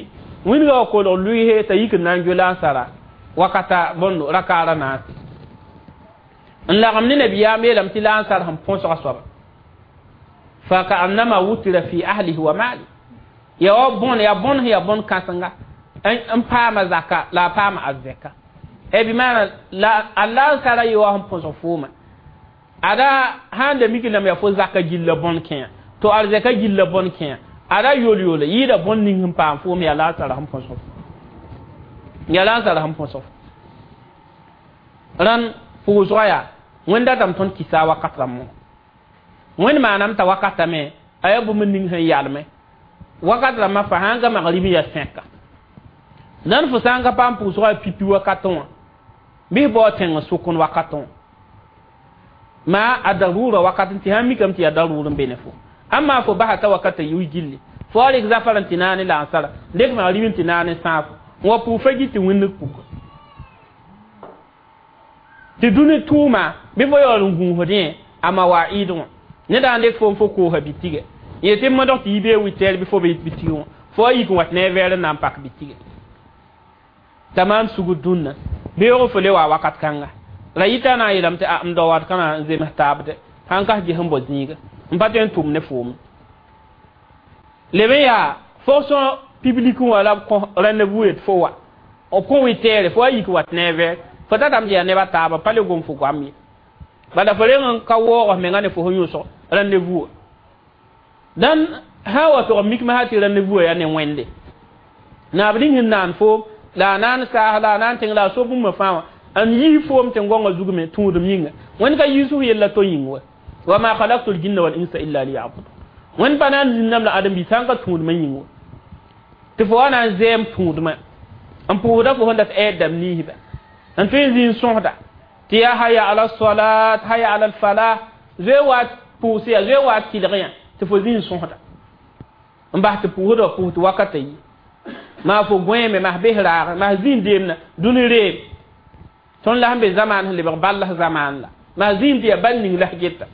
wĩnga wa kolg lʋɩɩse t'a yik n na n geo la n sara wakata bõndo rakaara naase n lagem ne nabiyaam yeelame tɩ la n sar sẽn põsga soaba Fa ka'annama wutira fi ahlihi wa mali. Ya wa bon ya bon ya bon kãsenga n paama zaka la paama arzɛka. E bi maana la Allah sara yi wa sẽn põsg fooma. Ada sãn da mik lame ya fo zaka gilla bõn kẽa to arzɛka gilla bõn kẽa ada yol yola yɩɩda bõn ning sẽn paam foom ya la sara sẽn põsg ya la sara sẽn põsg rãn pʋʋsga yaa wẽnd datame tõnd kɩsa wakat rãmbõ wẽnd maanam t'a wakatame a yaa bũmb ning sẽn yalme wakat rãmbã fa sãn ga magrib ya sẽka nan fo sã n ka paam pʋʋsga pipi wakatẽ wã bɩs bao tẽng sʋkn wakatẽ wã ma a darura wakat tɩ sãn mikame tɩ yaa daruur n be ne fo amma fo basa t'a wakata yʋ gilli fo wa rɩk zafar n tɩ naane la ansara dek magrib n tɩ naane sãafo n wa pʋʋg fa git tɩ wĩnnig puka tɩ dũni tʋʋma bɩ fo yaool n gũusdẽ a mawaid wã ned n dɩk fo n fo koosa bitigɛ yetɩ modg tɩ yi bee witɛɛr bɩ fo be yit bitig wã fo wa yik n wat ne a vɛɛr n na n pak bitigɛ t'a maan sugr dũnna beoog fo le wa wakat kãnga la yita na n yeelame tɩ a m dao wat kãna n zems taabde sãn kas ges n bao zĩiga n pa tõe n tʋm ne foom leb n yaa fonction publique wã la b kõ rendez-vous yet fo wa b kõ wɩtɛɛre fo wa yik wat ne a vɛɛr fo tatame tɩ yaa neb a taaba pa le gom fo goam ye bala fo reng n ka waoog f menga ne fo sẽn yõsg rendez-vous dãn sã n wa tog mikme sã tɩ rendez-vous yaa ne wẽnde naab ning sẽn naan foom la a naan saas la a naan tẽng la a so bũmba fãa wã n yii foom tɩ gõngã zug me tũudem yĩnga wẽnd ka yiisf yella to yĩng wa wa ma khalaqtu ljinna wal insa illa liyabudun wẽnd pa na n zĩnname la ãdem-biis sã n ka tũudmã yĩng wa tɩ fo wa na n zɛɛm tũudmã n pʋʋsda fo sẽn dat ɛɛd dãmb niisba n tõe n zĩ n sõsda tɩ yaa haya ala salat haya ala falah zoe wa pʋʋs ya zoe wa tɩlg yã tɩ fo zĩ n sõsda n bas tɩ pʋʋsda wa pʋʋs tɩ wakata yi maa fo gõeeme mas bes raag mas zĩ deemna dũni reem tõnd la sẽn be zamaan sẽn lebg ball zamaan la maa zĩim tɩ yaa bal ning la s geta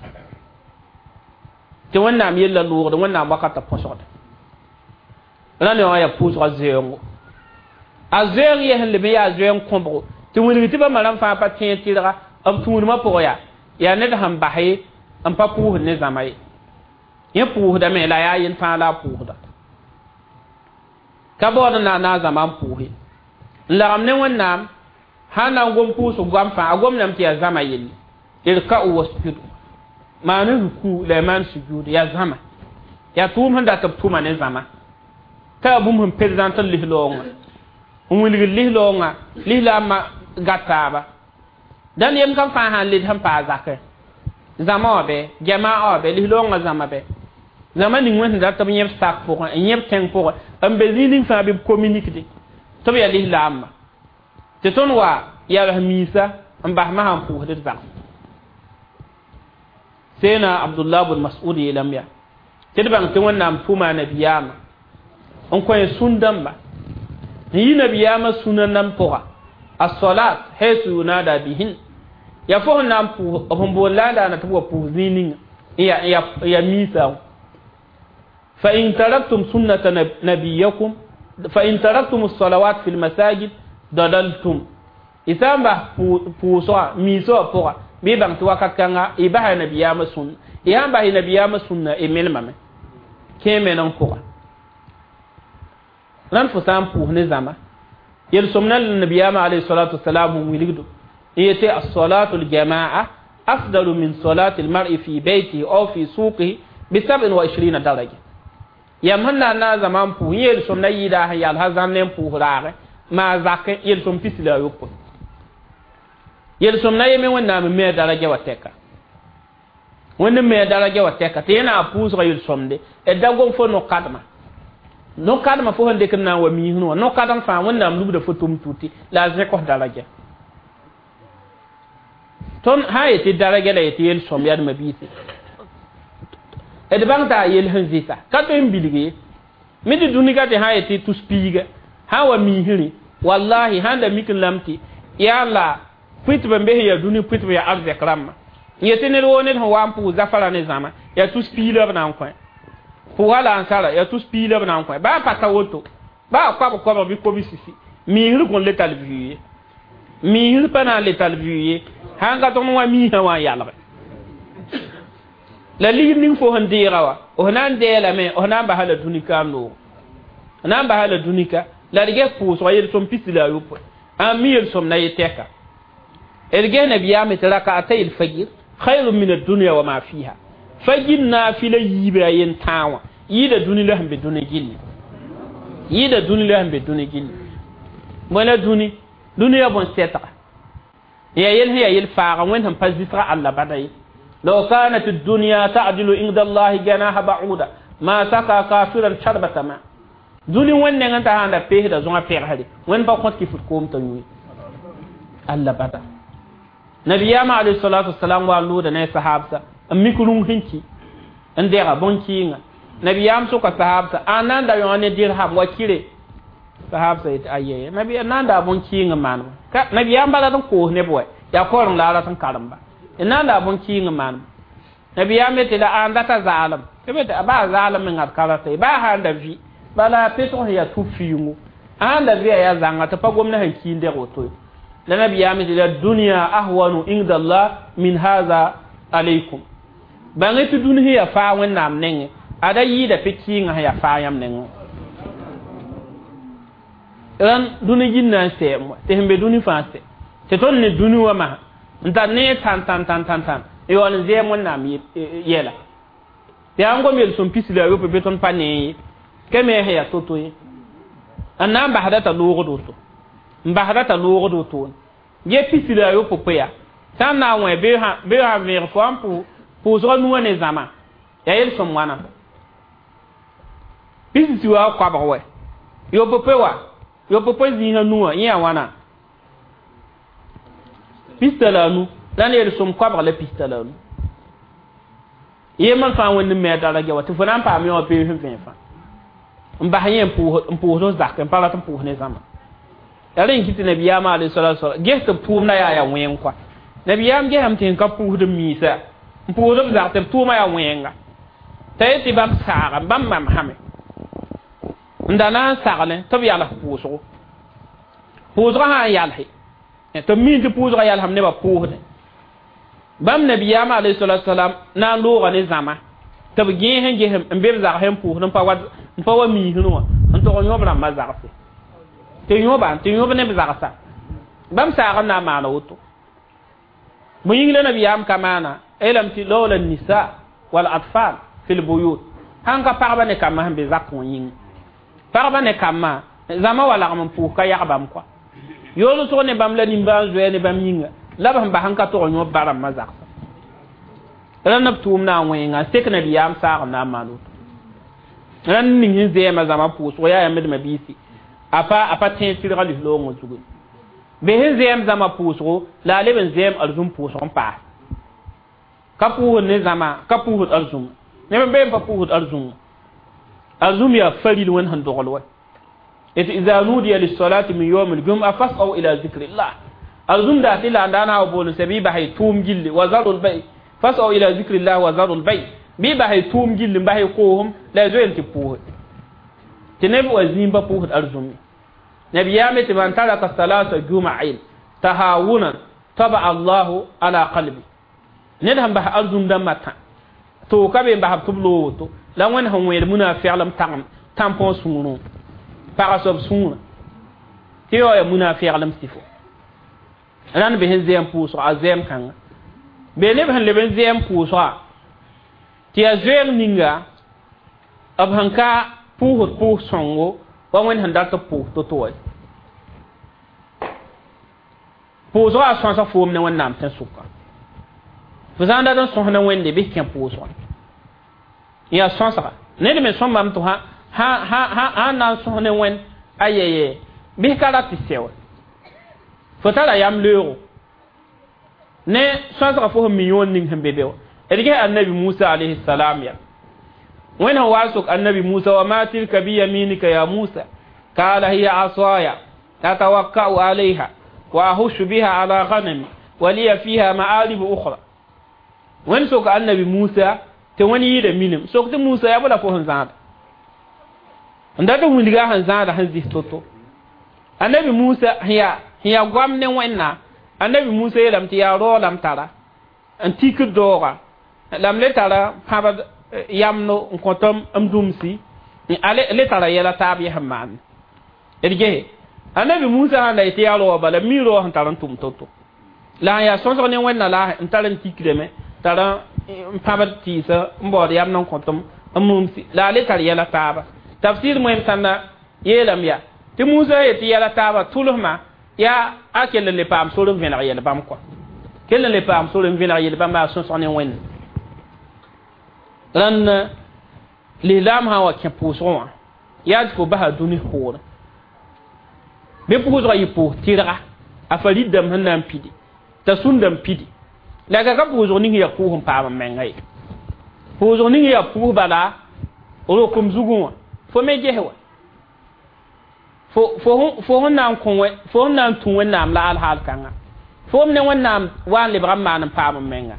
tɩ wẽnnaam yella loogde wẽnnaam wakata põsgda rã ne wã yaa pʋʋsga zoɛɛngo a zoɛɛng yɛs n leb n yaa zoɛɛng kõbgo tɩ wilg tɩ bãmba rãmb fãa pa tẽeg tɩrga b tũudmã pʋgã yaa yaa ned sẽn bas ye n pa pʋʋsd ne zãma ye yẽ pʋʋsdame la yaa yel fãa la a pʋʋsda ka baood n na n na a zãma n pʋʋs ye n lagem ne wẽnnaam sãn na n gom pʋʋsg goam fãa a gomdame tɩ yaa zãma yelle irka'u wasjudu maan ruku la maan sujud yaa zãma yaa tʋʋm sẽn dat b tʋma ne zãma t'a yaa bũmb sẽn prezãnt n lis-loongã n wilgd lis-loongã lislaambã gat taaba dãn yem kam fãa sãn led sẽn paa zakẽ zãma wã bɛ jamaa wã bɛ lis-loongã zãma bɛ zãma ning wẽnd sẽn dat b yẽb sak pʋgẽ n yẽb tẽng pʋgẽ n be zĩig ning fãa bɩ b communiquede tɩ b yaa lislaambã tɩ tõnd wa yals miisa n bas masã n pʋʋsd d zag seena abdullah bn mas'ud yeelame yaa tɩ d bãng tɩ wẽnnaam tʋma a nabiyaamã n kõ sũn-dãmba n yi nabiyaamã sũna nam pʋga as-salat haythu yunada bihin ya fo sẽn na n pʋʋs b sẽn boond la n daana tɩ b wa pʋʋs zĩig ninga n ya miisa fa in taraktum sunnata nabiyakum fa in taraktum as-salawat fi al-masajid dalaltum y sã n bas pʋʋsga miisã wã pʋga bɩ bãng tɩ wakat kãnga y basa nabiyaamã sũnna y sãn bas y nabiyaamã sũnna y melmame kẽe meneng pʋga rãnd fo sã n pʋʋs ne zãma yel-sõmna la nabiyaamã alayhi salatu wasalam n wilgdo n yetɩ as-salatu al-jamaa afdalu min salati al-mar'i fi baytihi aw fi suqihi bi 27 daraja yam sẽn na n na n zãma n pʋʋs yel-sõmna yɩɩda sẽn yal sã zãmb ne n pʋʋs raagẽ maa zakẽ yel-sõm pis la a yopoe yel-sõmna yeme wẽnnaam n me a daraja wa tɛka wẽnd n me a daraja wa tɛka tɩ yẽ na n pʋʋsga yel-sõmde d da gom fo no-kadmã no-kadmã fo sẽn dɩk n na n wa miisẽ wã no-kadem fãa wẽnnaam lubda fo tʋm tuti la a zẽk f daraja tõnd sã n yetɩ daraja la yetɩ yel-sõm yaa biise d bãng t'a yel sẽn zɩsa ka tõe n bilg ye me tɩ dũni ka tɩ sã n yetɩ tus piiga sã n wa miisrẽ wallahi sãn da mik n lame tɩ yaa la pʋɩtb n be sẽn yaa dũni pʋɩtb yaa arzɛk rãmbã n yetɩ ned woo ned sẽn wa n pʋʋs zafara ne zãma yaa tus piig la b na n kõ pʋʋga la ansara yaa tus piig la b na n kõ baa pa ta woto baa koabg koabg bɩ kobi-sisi miisr kõn le tall vɩ ye miisr pa na n le tall vɩ ye sãn ka tõnd wã miisã wã n yalge La ligd ning fo sẽn deega wa f na n deelame f na n basa la dũni ka n noogo na n basa la dũnika la d ges pʋʋsga yel-sõm pisi la a yopoe a mi yel-sõm na ye tɛka d ges nabiyaame tɩ rakatay l-fajr khayrun min ad-dunya wa ma fiha fajr naafila yiibe a yen tãa wã yɩɩda dũni la sẽn be dũni gilli yɩɩda dũni la sẽn be dũni gilli bõe la dũni dũni ya bõn-sɛtga ya yel sẽn yaa yel-faaga wẽnd sẽn pa zɩsga Alla bada ye law kanat ad-dunya ta'dilu inda Allahi janaha ba'uda ma saka kafiran sharbata ma dũni wẽnd nengẽ t'a sãn da peesda zõnga pɛgsre wẽnd pa kõt kɩ fʋt koom t'a yũ Alla bada nabiyaamã alayhi salatu wasalam wa n loogda ne a sahabsa n mik rũng sẽn ki n dɛga bõn-kɩɩnga nabiyaam soka sahabsa a na n da yõ ne dirham wa kire sahabsa yetɩ ayɛ nabi na n daa bõn-kɩɩng n maaneba ka nabiyaam bala n koos neb wɛ yaa koreng la a rat n karemba na n daa bõn-kɩɩng n maaneba nabiyaam yetɩ la ãn data zaalem tɩ b yetɩ baa zaalem mengã d ka rata ye baa sã n da vɩ bala pesg sẽn yaa tʋb fiingo sã n da vɩa yaa zãnga tɩ pa gomda sẽn ki n dɛg woto ye la nabiyaam yetɩ la dunya ahwanu inda Allah min hadha alaykum bãng tɩ dũni sẽn yaa faa wẽnnaam nengẽ ada yɩɩda pe-kɩɩngã sẽn yaa faa yãmb nengẽ rãn dũni gĩnda n sɛɛm wa tɩ sẽn be dũni fãa sɛ tɩ tõnd ne dũni wã masã n tar ne tãn tãn tãn tãn tãn n yaool n zɛɛm wẽnnaam yɛla tɩ yaa n gom yel-sõm pisi la a yopoe bɩ tõnd pa nee ye ka me sẽn yaa to-to ye n na n basda t'a loogd woto n basda t'a loogd wotone ge pisi la a yopoe yaa sã n na n wẽ bɩ sã vẽeg fo n pʋʋsga nuwã ne zãma yaa yel-sõm wãna pisi si wa koabg wɛ yopoe wa yopoe zĩisã nuwã yẽ yaa wãna pista la a nu la ne yel-sõm koabg la pista la a nu yembr fãa wẽnd n me a daraja wa tɩ fo na n paam yã wã pees n vẽe fãa n bas yẽ n pʋʋsd zak n pa rat n pʋʋs ne zãma yaa rẽ n kɩ tɩ nabiyaamã alayhi salatu wasalam ges tɩ b tʋʋmda yaa yaa wẽng kɔa nabiyaam gesame tɩ sẽn ka pʋʋsd n miisa n pʋʋsd b zak tɩ b tʋʋma yaa wẽnga t'a yet tɩ bãmb saaga bãmb mamsame n da na n saglẽ tɩ b yals pʋʋsgo pʋʋsgã sã n yalse tɩ b miin tɩ pʋʋsgã yalsem nebã pʋʋsdẽ bãmb nabiyaamã alayhi salatu wasalam na n looga ne zãma tɩ b gẽes n ges n be b zag sẽn pʋʋsd n pa wa miisẽ wã n tog n yõb rãmbã zagse tɩ yõba tɩ yõb ne b zagsa bãmb saag n na n maana woto bõe yĩng la nabiyaam ka maana elame tɩ lawla nisa wal atfal fi lbuyut sãn ka pagba ne kambã sẽn be zakẽ wã yĩngã pagba ne kambã zãma wa lagm n pʋʋs ka yag bãmb kɔa yoolsg ne bãmb la nimbãan-zoɛɛ ne bãmb yĩnga la b sẽn bas n ka tog n yõb ba rãmbã zagsa rãnd b tʋʋm na n wẽnga n sek nabiyaam saag n na n maan woto rãnd ning sẽn zɛɛmã zãma pʋʋsgo yaa yãmb d mabiisi a pa tẽeg sɩdga lis-loongã zugu be sẽn zɛɛm zãma pʋʋsgo la a leb n zɛɛm arzũm pʋʋsg n paas ka pʋʋsd ne zãma ka pʋʋsd arzũm neb n be n pa pʋʋsd arzũm arzũm yaa faril wẽnd sẽn dogl wa et iza nudiya lis-salati min yawm al-jum'a fas'au ila zikrillah arzũm daa tɩ la n daa na wa bool n sɛ bɩ bas y tʋʋm gilli wa zarul bay fas'au ila zikrillah wa zarul bay bɩ bas y tʋʋm gilli n bas y koosem la y zoe n tɩ pʋʋse tɩ neb wa zĩim pa pʋʋsd arzũm nabiyaame tɩ man taraka salasa juma'in tahawunan taba allahu ala qalbi ned sẽn bas arzũm dãmbã tã tɩ ka be n basb tɩ b loog woto la wẽnd sẽn wẽed munafɛglem tagem tãmpõ sũurẽ pag soab sũurã tɩ yao yaa munafɛglem sɩfo rãnd be sẽn zɛɛm pʋʋsga a zɛɛm kãnga be neb sẽn leb n zɛɛm pʋʋsga tɩ yaa zoeeg ninga b sẽn ka pʋʋsd pʋʋs sõngo wa wẽnd sẽn dat b pʋʋs to-to wa pʋʋsga a sõsa foom ne wẽnnaam tẽn-sʋka fo sã n dat n sõs ne wẽnde bɩ kẽ pʋʋsga yaa sõsga ned me sõmbame tɩ sã n na n sõs ne wẽnd ayɛyɛ bɩ ka rat tɩ sɛ wa fo tara yam leoogo ne sõsga fo sẽn mi yõon ning sẽn be be wa d ges annabi Musa alayhi salam ya wẽnd sẽn wa sok annabi Musa wa ma tilka biyaminika ya Musa qala hiya asaya atawakka'u alayha wa ahushu biha ala ghanami wa liya fiha ma'arib ukhra wẽnd sok annabi Musa tɩ wẽnd yɩɩda minim sok tɩ Musa yaa bala fo sẽn zãada n dat n wilga sẽn zãada sẽn zis to-to annabi Musa sẽn yaa goam ne wẽnna annabi Musa yeelame tɩ yaa raoolame tara n tikd daooga La m le tara pãbd yamno n kõt m dũmsi le tara yɛla taab yɛs n maan d gese annabi Musa sãn da yetɩ yaa raoog bala mi raoog sẽn tar n tʋm to-to la n yaa sõsg ne wẽnna la n tar n tikrame tar n pãbd tɩɩsã n baood yamd n kõt m mumsi la a le tar yɛla taaba tafsir moem sãnda yeelame yaa tɩ Musa yetɩ yɛla taaba tʋlsmã yaa a kell n le paam sor n vẽneg yɛl bãmb kɔa kell n le paam sor n vẽneg yɛl bãmb a sõsg ne wẽnd rãnd lislaam sã n wa kẽ pʋʋsgẽ wã yaa tɩ fo basa dũni poorẽ bɩ pʋʋsgã yɩ pʋʋs tɩrga a fa rid-dãmb sẽn na n pidi t'a sũnda n pidi la ka pʋʋsg ning yaa pʋʋs n paam n menga ye pʋʋsg ning yaa pʋʋs bala rokum zugẽ wã fo me ges wa fo sẽn na n kõ fo sẽn na n tũ Wẽnnaam la alhaal kãnga fo m ne Wẽnnaam wa n lebg n maan n paam n menga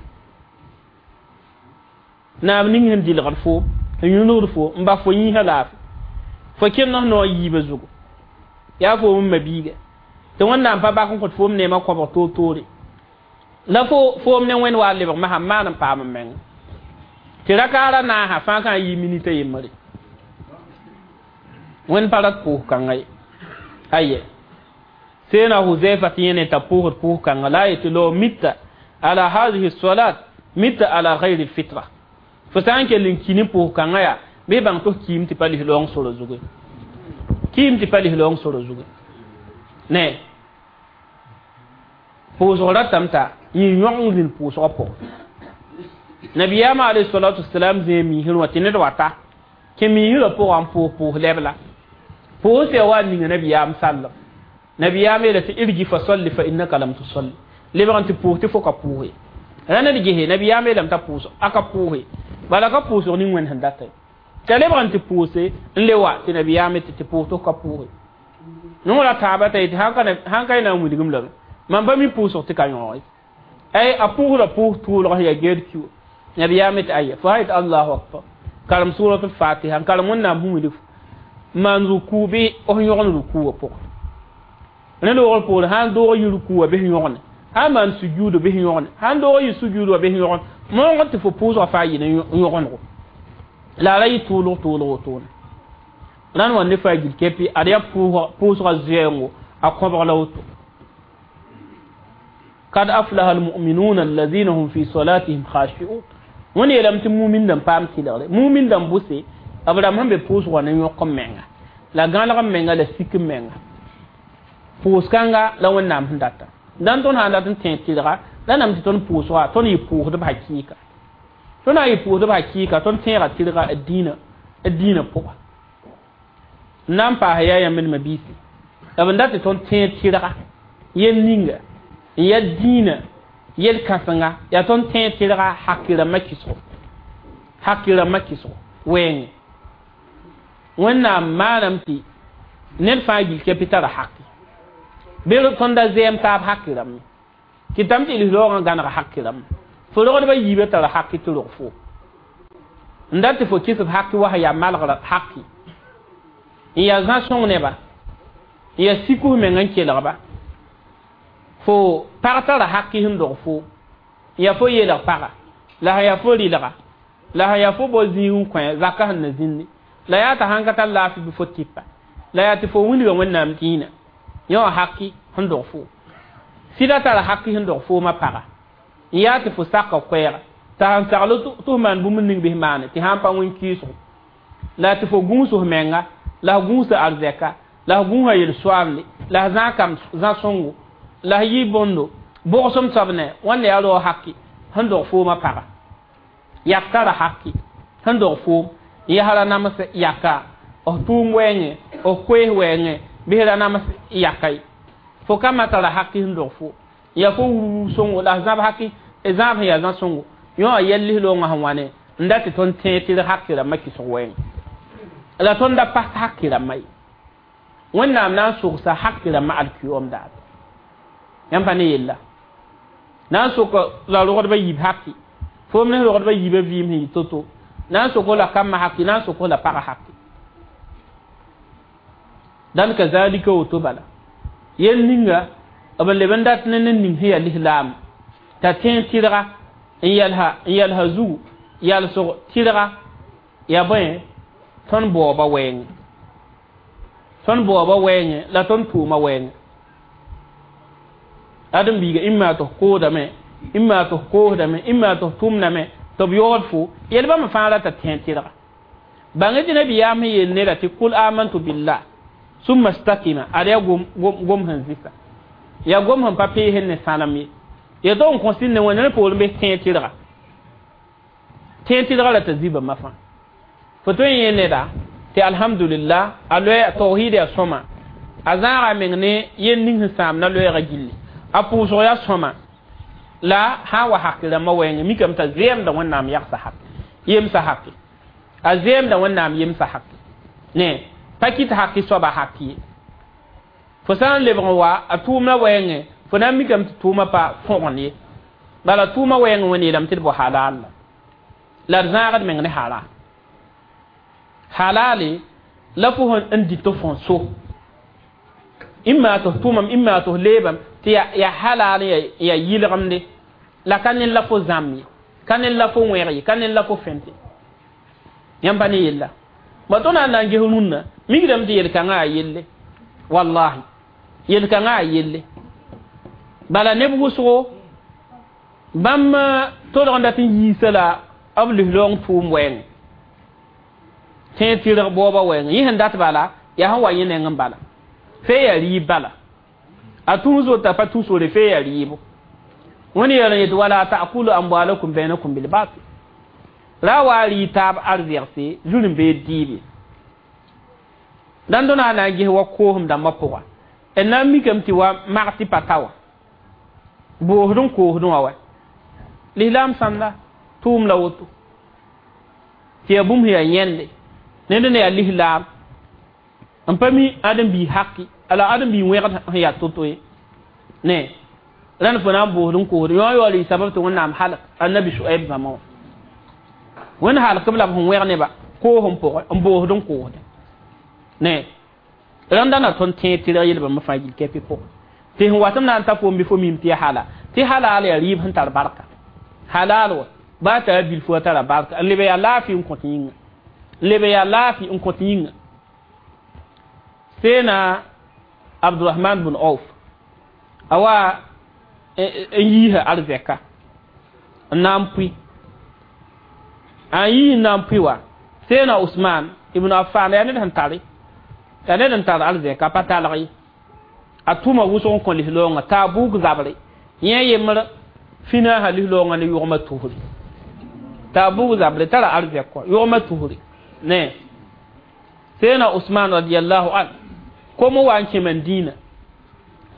naam ning sẽn dilgd fo n yũnugd fo n bas fo yĩnsã laafɩ fo kẽnd f noog yiibã zugu yaa fo m mabiiga tɩ Wẽnnaam pa bak n kõt foom neemã kõbg toor-toore la fo m ne Wẽnd wa n lebg masã n maan n paam n menga tɩ rakaara naasã fãa kã n yɩ minita yembre Wẽnd pa rat pʋʋs kãnga ye aye sena Huzaifa tɩ yẽne t'a pʋʋsd pʋʋs kãnga la a yetɩ law mitta ala hadihi salat mitta ala gayri lfitra fo sã n kell n ki ne pʋʋs kãngã yaa bɩ bãng tɩ f kiim tɩ pa lislaoong sora zugu kiim tɩ pa lislaoong sora zugu ne pʋʋsg ratame t'a yẽ yõg n zĩnd pʋʋsgã pʋgẽ nabiyaamã alayhi salatu wasalam zẽe miisr wã tɩ ned wata kẽ miisrã pʋgã n pʋʋs lɛbla pʋʋs ya wa n ninga nabiyaam sallem nabiyaam yeela tɩ irji fa salli fa innaka lam tusalli lebg n tɩ pʋʋs tɩ fo ka pʋʋse ra ned gese nabiyaam yeelame t'a pʋʋs a ka pʋʋse bala ka pʋʋsg ning Wẽnd sẽn data t'a lebg n tɩ pʋʋse n le wa tɩ nabiyaam tɩ pʋʋs tɩ f ka pʋʋse noora taaba t'a yetɩ sãn ka y na n wilgem lame mam pa mi pʋʋsg tɩ ka yõoge ay a pʋʋsda pʋʋs tʋʋlg sẽn yaa geed kiwa nabiyaam tɩ aya fo sã yetɩ allahu akbar karem suratul fatiha n karem Wẽnnaam sẽn wilg maan ruku bɩ f yõgn ruku wã pʋgẽ rẽ loogr poore sã n doog yɩ ruku wã bɩ f yõgne sã n maan sujuudo bɩ f yõgne sã n doog yɩ sujuud wã bɩ f yõgn moongd tɩ fo pʋʋsgã faa yɩ ne yõgenego la a ra yɩ tʋʋlg tʋʋlg wotone rãnd wa ne faa gil kepi ad yaa pʋʋsgã zoɛɛngo a kõbg la woto kad aflaha almuminuna alladhina hum fi salatihim khashi'un wẽnd yeelame tɩ mumin dãmb paam tɩlgre mumin dãmb bʋse b rãmb sẽn be pʋʋsgã ne yõk n menga la gãlg n menga la sik n menga pʋʋs kãnga la Wẽnnaam sẽn data dãn tõnd sã n dat n tẽ tɩlga la nam tɩ tõnd pʋʋsga tõnd yɩ pʋʋsdb hakɩɩka tõnd na n yɩ pʋʋsdb hakɩɩka tõnd tẽega tɩlga d dĩinã pʋga n na n paas yaa yãmb d mabiisi la b n dat tɩ tõnd tẽed tɩlga yel ninga n yaa dĩinã yel kãsenga yaa tõnd tẽed tɩlga hakɩ-rãmbã kɩsgo hakɩ-rãmbã kɩsgo wɛɛngẽ Wẽnnaam maaname tɩ ned fãa gil kepi tara haki bɩ tõnd da zɛɛm taab haki rãmb kɩtame tɩ lislaoogã gãneg haki rãmb fo rogdbã yiibã tara haki tɩ rog fo n dat tɩ fo kɩs b haki wa sẽn yaa malgrã haki n yaa zã-sõng neba n yaa sikus meng n kelgba fo pag tara haki sẽn dog fo n yaa fo yeelg paga la sẽn yaa fo rɩlga la sẽn yaa fo bao zĩig n kõ zaka sẽn na zĩndi la yaa t'a sãn ka tar laafɩ bɩ fo tɩpa la yaa tɩ fo wilga Wẽnnaam dĩinã yẽ wã haki sẽn dog fo sɩda tara haki sẽn dog foomã paga n yaa tɩ fo saka koɛɛga t'a sãn sagl tɩ f maan bũmb ning bɩ f maane tɩ sãn pa wẽn-kɩɩsgo la tɩ fo gũus f menga la f gũusa arzɛka la f gũusa yel-soaamde la f zã kam zã-sõngo la f yɩ bõndo bʋgsem soab ne wãnda yaa rao haki sẽn dog foomã paga yak tara haki sẽn dog foom yɛsra nams yaka f tʋʋm wɛɛngẽ f koees wɛɛngẽ bɩ ra nams yaka ye fo ka ma tara haki sẽn dog fo ya fo wurwur sõngo la f zãb haki zãab sẽn yaa zã-sõngo yõ wã yɛl lislaoongã sẽn wa ne n dat tɩ tõnd tẽeg tɩ d haki rãmbã kɩsg wɛɛngẽ la tõnd da pas haki rãmbã ye Wẽnnaam na n sogsa haki rãmbã alkiyoom daar yãmb pa ne yella na n sok la rogdbã yiib haki foom ne rogdbã yiibã vɩɩm sẽn yɩ to-to na n sok la kambã haki na n sok la pagã haki dãn kazalika woto bala yel ninga b leb n dat ne ned ning sẽn yaa lislaam t'a tẽeg tɩlga N yɛlsa zugu yalsg tɩrga yaa bõe tõnd baooba wɛɛngẽ tõnd baooba wɛɛngẽ la tõnd tʋʋma wɛɛngẽ ãdem-biiga ĩmma tɩ f koodame ĩmma tɩ f koosdame ĩmma tɩ f tʋmdame tɩ b yoogd fo yel bãmb fãa rata tẽ tɩrga bãng tɩ nabiyaam sẽn yeel neda tɩ kul amantu billah summa stakima ad yaa gom sẽn zɩsa yaa gom sẽn pa peesẽ ne sãnem ye ya tɩ n kõ sɩd ne wẽnda ne poorẽ bes tẽ tɩrga tẽ tɩrga la t'a zibame fãa fo tõe n yẽ neda tɩ alhamdulillah a loɛ tawhid yaa sõma a zãaga a meng ne yel ning sẽn sãam na loɛɛga gilli a pʋʋsg yaa sõma la sã n wa haki rãmbã wɛɛngẽ mikame t'a zɛɛmda wẽnnaam yagsa hak yemsa haki a zɛɛmda wẽnnaam yemsa haki ne pa kɩt haki soaba haki ye fo sã n lebg n wa a tʋʋmã wɛɛngẽ fo na n mikame tɩ tʋʋmã pa fõgend ye bala tʋʋmã wɛɛngẽ wẽnd yeelame tɩ d bao halal la d zãagd meng ne halal halale la fo sẽn dɩt tɩ fõ so ĩmma tɩ f tʋmam ĩmma tɩ f leebam tɩ yaa halal yaa yɩlgemde la ka ned la fo zãmb ye ka ned la fo wẽg ye ka ned la fo fẽnte yãmb pa ne yella ba tõnd na n ges rũnnã mikdame tɩ yel-kãngã yaa yelle wallahi yel-kãngã yaa yelle bala neb wʋsgo bãmb tolg n dat n yiisa la b lislaoong tʋʋm wɛɛngẽ tẽ tɩrg baooba wɛɛngẽ yẽ sẽn dat bala yaa sẽn wa yẽ neng n bala fee yaa rɩɩb bala a tũus wota pa tũ sore fee yaa rɩɩbo wẽnd yɛl n yetɩ wala ta'kulu amwalakum bainakum bilbatil ra wa rɩ taab arzɛgse zũr n bee dɩɩbe dãn tõnd na n ges wa koosem dãmbã pʋga d na n mikame tɩ wa mag tɩ pa ta wã boosd n koosdẽ wã wa lislaam sãnda tʋʋm la woto tɩ yaa bũmb sẽn yaa yẽnde ned ne yaa lislaam n pa mi ãdem-biis haki la ãdem-biis wẽgd sẽn yaa to-to ye ne rãnd fo na n boosd n koosd yõ yaool yɩ sabab tɩ wẽnnaam halk annabi Shuaib zãma wã wẽnd halk b la b sẽn wẽg neba koosem pʋgẽ n boosd n koosdẽ ne rãnda na tõnd tẽeg tɩrg yel bãmb fãa gil kɛpɩ pʋgẽ tɩ sẽn watame na n ta foom bɩ fo mim tɩ ya halal tɩ halal yaa rɩɩb sẽn tar barka halal wa baa tara bilfu a tara barka n leb yaa laafɩ n kõt yĩnga n leb yaa laafɩ n kõt yĩnga seena Abdurahman bun Auf a wa n yiisa arzɛka n na n pʋɩ a yii n na n pʋɩ wa seena Usman ibn Affan yaa ned sẽn tare yaa ned n tar arzɛka pa talg ye a tʋma wʋsg n kõ lislaoongã t'a buug zabre yẽ yembr fĩna sã lislaoongã ne yʋgmã tusri t'a buug zabre tara arzɛk kɔ yʋgmã tusri ne seena Usman radiallahu an kom wa n kẽ Mandina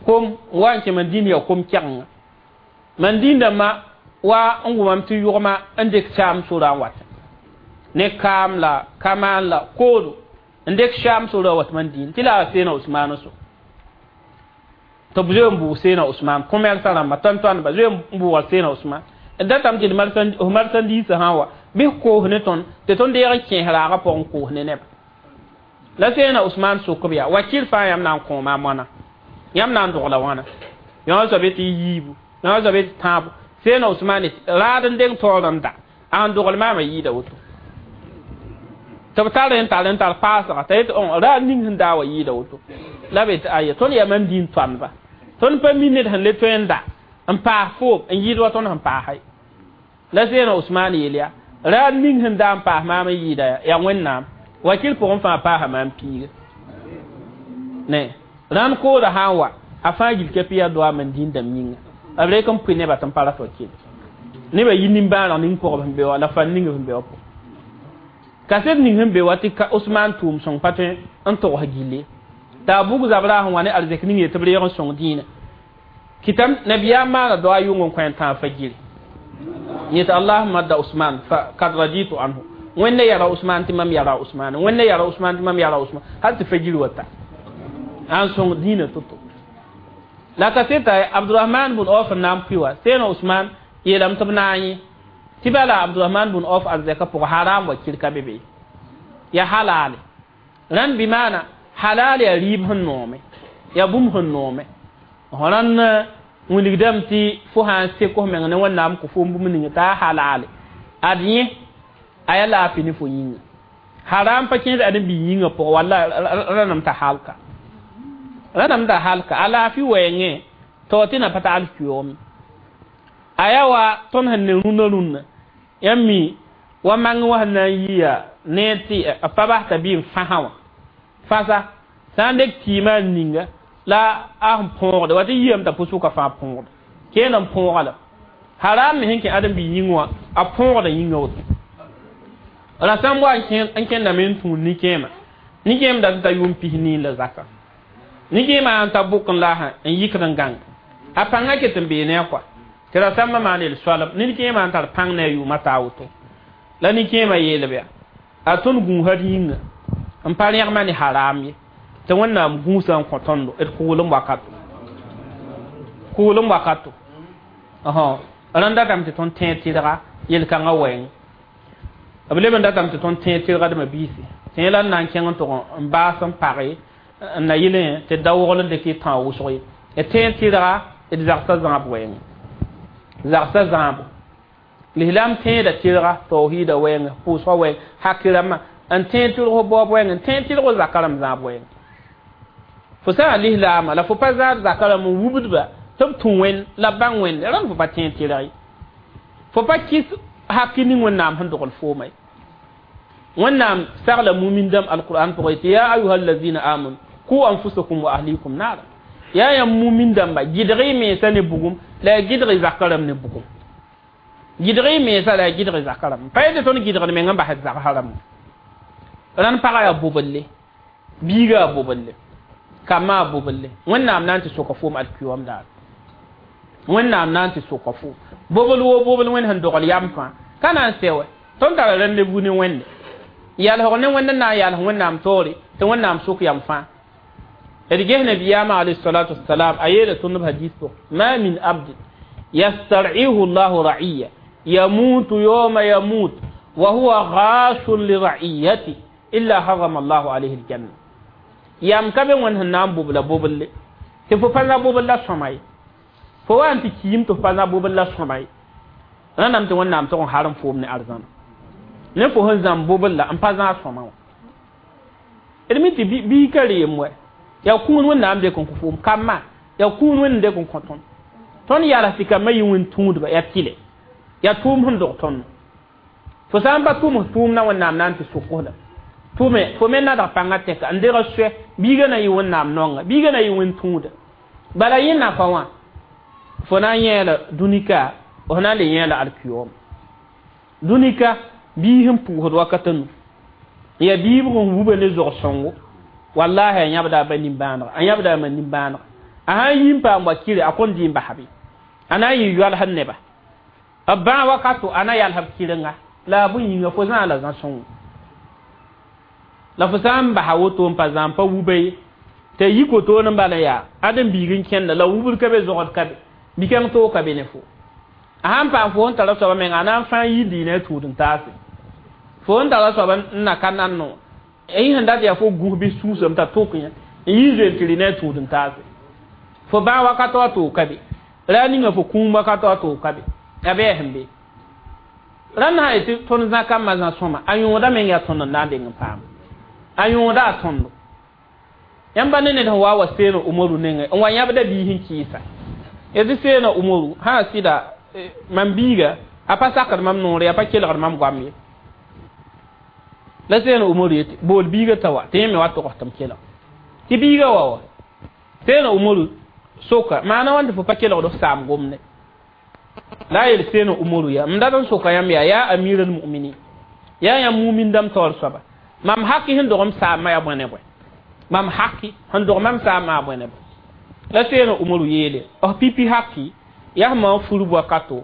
kom wa n kẽ Mandina yaa kom kɛgenga Mandin dãmbã wa n wʋmame tɩ yʋgma n dɩk saam sorã n wata ne kaam la kamaan la koodo n dɩk saam sorã wat Mandin tɩ la a seena Usmaan so tɩ b zoe n bʋʋg seena Usmaan kõ-mɛrsã rãmba tõnd-tõndba zoe n bʋʋga seena Usmaan d datame tɩ d marsandiisã sã n wa bɩ f koos ne tõnd tɩ tõnd deeg n kẽes raagã pʋgẽ n koos ne neba la seena Usmaan sok b yaa wakil fãa yãmb na n kõoma moana yãmb na n dogla wãna yõ soab tɩ yiibu yõ soab tɩ tãabo seena Usmaan raad n deng taoor n da a sẽn dogl maamã yɩɩda woto tɩ b tar n tar n tar paasga t'a yetɩ raad ning sẽn daa wa yɩɩda woto la b yetɩ aya tõnd yaa mam dĩin tõandba tõnd pa mi ned sẽn le tõe n da n paas foom n yɩɩd wa tõnd sẽn paasa ye la seena Usmaan yeel yaa raad ning sẽn daa n paas maam n yɩɩda yaa Wẽnnaam wakil pʋgẽ fãa paasa maam piiga ne rãnd kooda sã n wa a fãa gil ka yaa doa man dĩin dãmb yĩnga b rek n pʋɩ nebã tɩ n pa rat wakil nebã yi nimbãaneg ning pʋgb sẽn be wa la fan ning sẽn be wa pʋgẽ kaset ning sẽn be wa tɩ Usmaan tʋʋm sõng pa tõe n togs gilli t'a bug zabra sẽn wa ne arzɛk ning ye tɩ b reeg n sõng dĩinã kɩtame nabiyaam maana doa yʋng n kõ n tãag fagiri yetɩ allahumma da Usman fa kad raditu anhu wẽnna yara Usman tɩ mam yara Usman wẽnna yara Usman tɩ mam yara Usman hal tɩ fagiri wa ta an sõng dĩinã to-to la kaseta Abdurahman bun Auf n na n pʋɩ wa seena Usman yeelame tɩ b na n yẽ tɩ bala Abdurahman bun Auf arzɛka pʋgã haram wa kirka be be ya halale rãnd bɩ maana halal yaa rɩɩb sẽn noome yaa bũmb sẽn noome rãnd Wilgdame tɩ fo sã n sek f meng ne Wẽnnaam kõ fo bũmb ning t'a halaale ad yẽ a yaa laafɩ ne fo yĩnga haram pa kẽed ãdem-bi yĩngã pʋgẽ walla rãnem t'a halka rãnem t'a halka a laafɩ wɛɛngẽ tao tɩ na pa tagl kɩoom a yaa wa tõnd sẽn ne rũnã rũnã yãmb mi wa mang wã sẽn na n yɩa ne tɩ a pa bas t'a bɩ n fãsã wã fãsa sã n dek tɩɩmã n ninga la a sẽn põogde wa tɩ yiyame t'a pʋsʋka fãa põogde keen n põoga la haram me sẽn kẽ ãdem-bi yĩng wã a põogda yĩngã woto rasãmb wa n kẽndame n tũud nin-kẽema nin-kẽem dat n ta yʋʋm 90 la zaka nin-kẽemã n ta bʋk n la n yikd n gãng a pãngã ket n bee ne a kɔa tɩ rasãmbã maan yel soalem nin-kẽemã n tar pãng ne a yʋʋmã taa woto la nin-kẽemã yeelb yaa a tõnd gũusã d yĩnga n pa rẽgmã ne haram ye tɩ Wẽnnaam gũusã n kõ tõndo d kʋʋlem wakato kʋʋlem wakato rãnd datame tɩ tõnd tẽed tɩdga yel-kãngã wɛɛng b leb n datame tɩ tõnd tẽed tɩlgdmã biisi tẽ la n na n kẽng n tʋg n baas n page n na yɩlẽ tɩ da wogl n dɩk y tã wʋsg ye d tẽed tɩlga d zagsã zãab wɛɛng zagsã zãabo lislaam tẽeda tɩlga tawhiida wɛɛng pʋʋsgã wɛɛng haki rãmbã n tẽed tɩlg f baoob wɛɛng n tẽed tɩlg zaka rãmb zãab wɛɛng fo sã n lislaamã la fo pa zãad zaka rãmb n wubdba tɩ b tũ wẽnd la b bãng wẽnde rãnd fo pa tẽed tɩlg ye fo pa kɩs haki ning Wẽnnaam sẽn dogl fooma ye Wẽnnaam sagla mumin dãmb alqur'an pʋgẽ tɩ ya ayuha allazina amanu ku anfusakum wa ahlikum naara yaa yãmb mumin dãmba gɩdg y mensã ne bugum la ya gɩdg y zaka rãmb ne bugum gɩdg y mensã la ya gɩdg y zaka rãmb pa yetɩ tõnd gɩdgd meng n basd zagsã rãmb rãnd pagã yaa bobelle biiga yaa bobelle kambã yaa bobelle Wẽnnaam na n tɩ soka foom alkiyom daar Wẽnnaam na n tɩ soka foom bobl woo bobl Wẽnd sẽn dogl yam fãa ka na n sɛ wɛ tõnd tara rendez-vous ne Wẽnde yalsg ne Wẽnd n na n yals Wẽnnaam taoore tɩ Wẽnnaam sok yam fãa d ges nabiyaamã alayhi salatu wasalam a yeela tõnd b hadis pʋgẽ ma min abdin yastar'ihu llahu ra'iya yamutu yawma yamut wa huwa ghashun li ra'iyati illa harama allahu alayhi aljanna yam ka be Wẽnd sẽn na n bobla boblle tɩ fo pa zã bobl la sõma ye fo wa n tɩ kiim tɩ fo pa zã bobl la sõma ye rãndame tɩ Wẽnnaam tʋg n harem foom ne arzãna ne fo sẽn zãmb bobl la n pa zã a sõma wã d mi tɩ bii ka reem wɛ yaa kũun Wẽnnaam dɩk n kõ foom kambã yaa kũun Wẽnd dɩk n kõ tõnd tõnd yals tɩ kambã yɩ wẽn tũudba yaa tɩlɛ yaa tʋʋm sẽn dog tõnd fo sã n pa tʋʋm f tʋʋmdã Wẽnnaam na n tɩ sok-f la tʋme fo me nadg pãngã tɛka n deg soɛ biiga na yɩ Wẽnnaam nonga biiga na yɩ wẽn tũuda bala yẽ nafa wã fo na n yẽela dũnika f na n le yẽela alkiyom dũnika biis n pʋʋsd wakat nu yaa biibg n wuba ne zog-sõngo wallahi a yãbda a ba nimbãanega a yãbda a ma nimbãanega a sã n yi n paam wa kire a kõn dɩ n basb ye a na n yɩ yoalsd neba b bãag wakato a na yals b kɩrenga la a bõe yĩnga fo zãa la zã-sõngo la fo sã n basa woto n pa zã n pa wuba ye tɩ a yi kotoor n bala yaa ãdem-biig n kẽnda la wubd ka be zogd ka be bi-kãng toog ka be ne fo a sãn paam fo sẽn tara soaba menga a na n fãa yɩ diinã a tũud n taase fo sẽn tara soaba n na ka nanno y sẽn dat yaa fo gũs bɩ sũusame t'a tʋk yã n yɩ zoe tɩ rɩ ne a tũud n taase fo bãag wakato a toog ka be ra ninga fo kũum wakato a toog ka be a bɩ a sẽn be rãnd sã yetɩ tõnd zã kambã zã sõma a yõoda meng yaa tõnd n na n deng n paam a yõoda a tõndo yãmb ne ned sẽn wa wa seena Umaru nengẽ n wa yãbda biis n kɩɩsa yetɩ seena Umaru sã sɩda mam biiga a pa sakd mam noore a pa kelgd mam goam ye la seena Umaru yetɩ bool biiga t'a wa tɩ yẽ me wa togs tɩ m kelg tɩ biiga wa wa seena Umaru soka maana wãn tɩ fo pa kelgd f saam gomde la a yel seena Umaru yaa m dat n soka yãmb yaa yaa amir almuminin yaa yãmb mumin dãmb taoor soaba mam haki sẽn dog m saamã yaa bõe ne bõe mam haki sẽn dog mam saamã yaa bõe ne bõe la seena Umaru yeele f pipi haki yaa sẽn maan furb wakato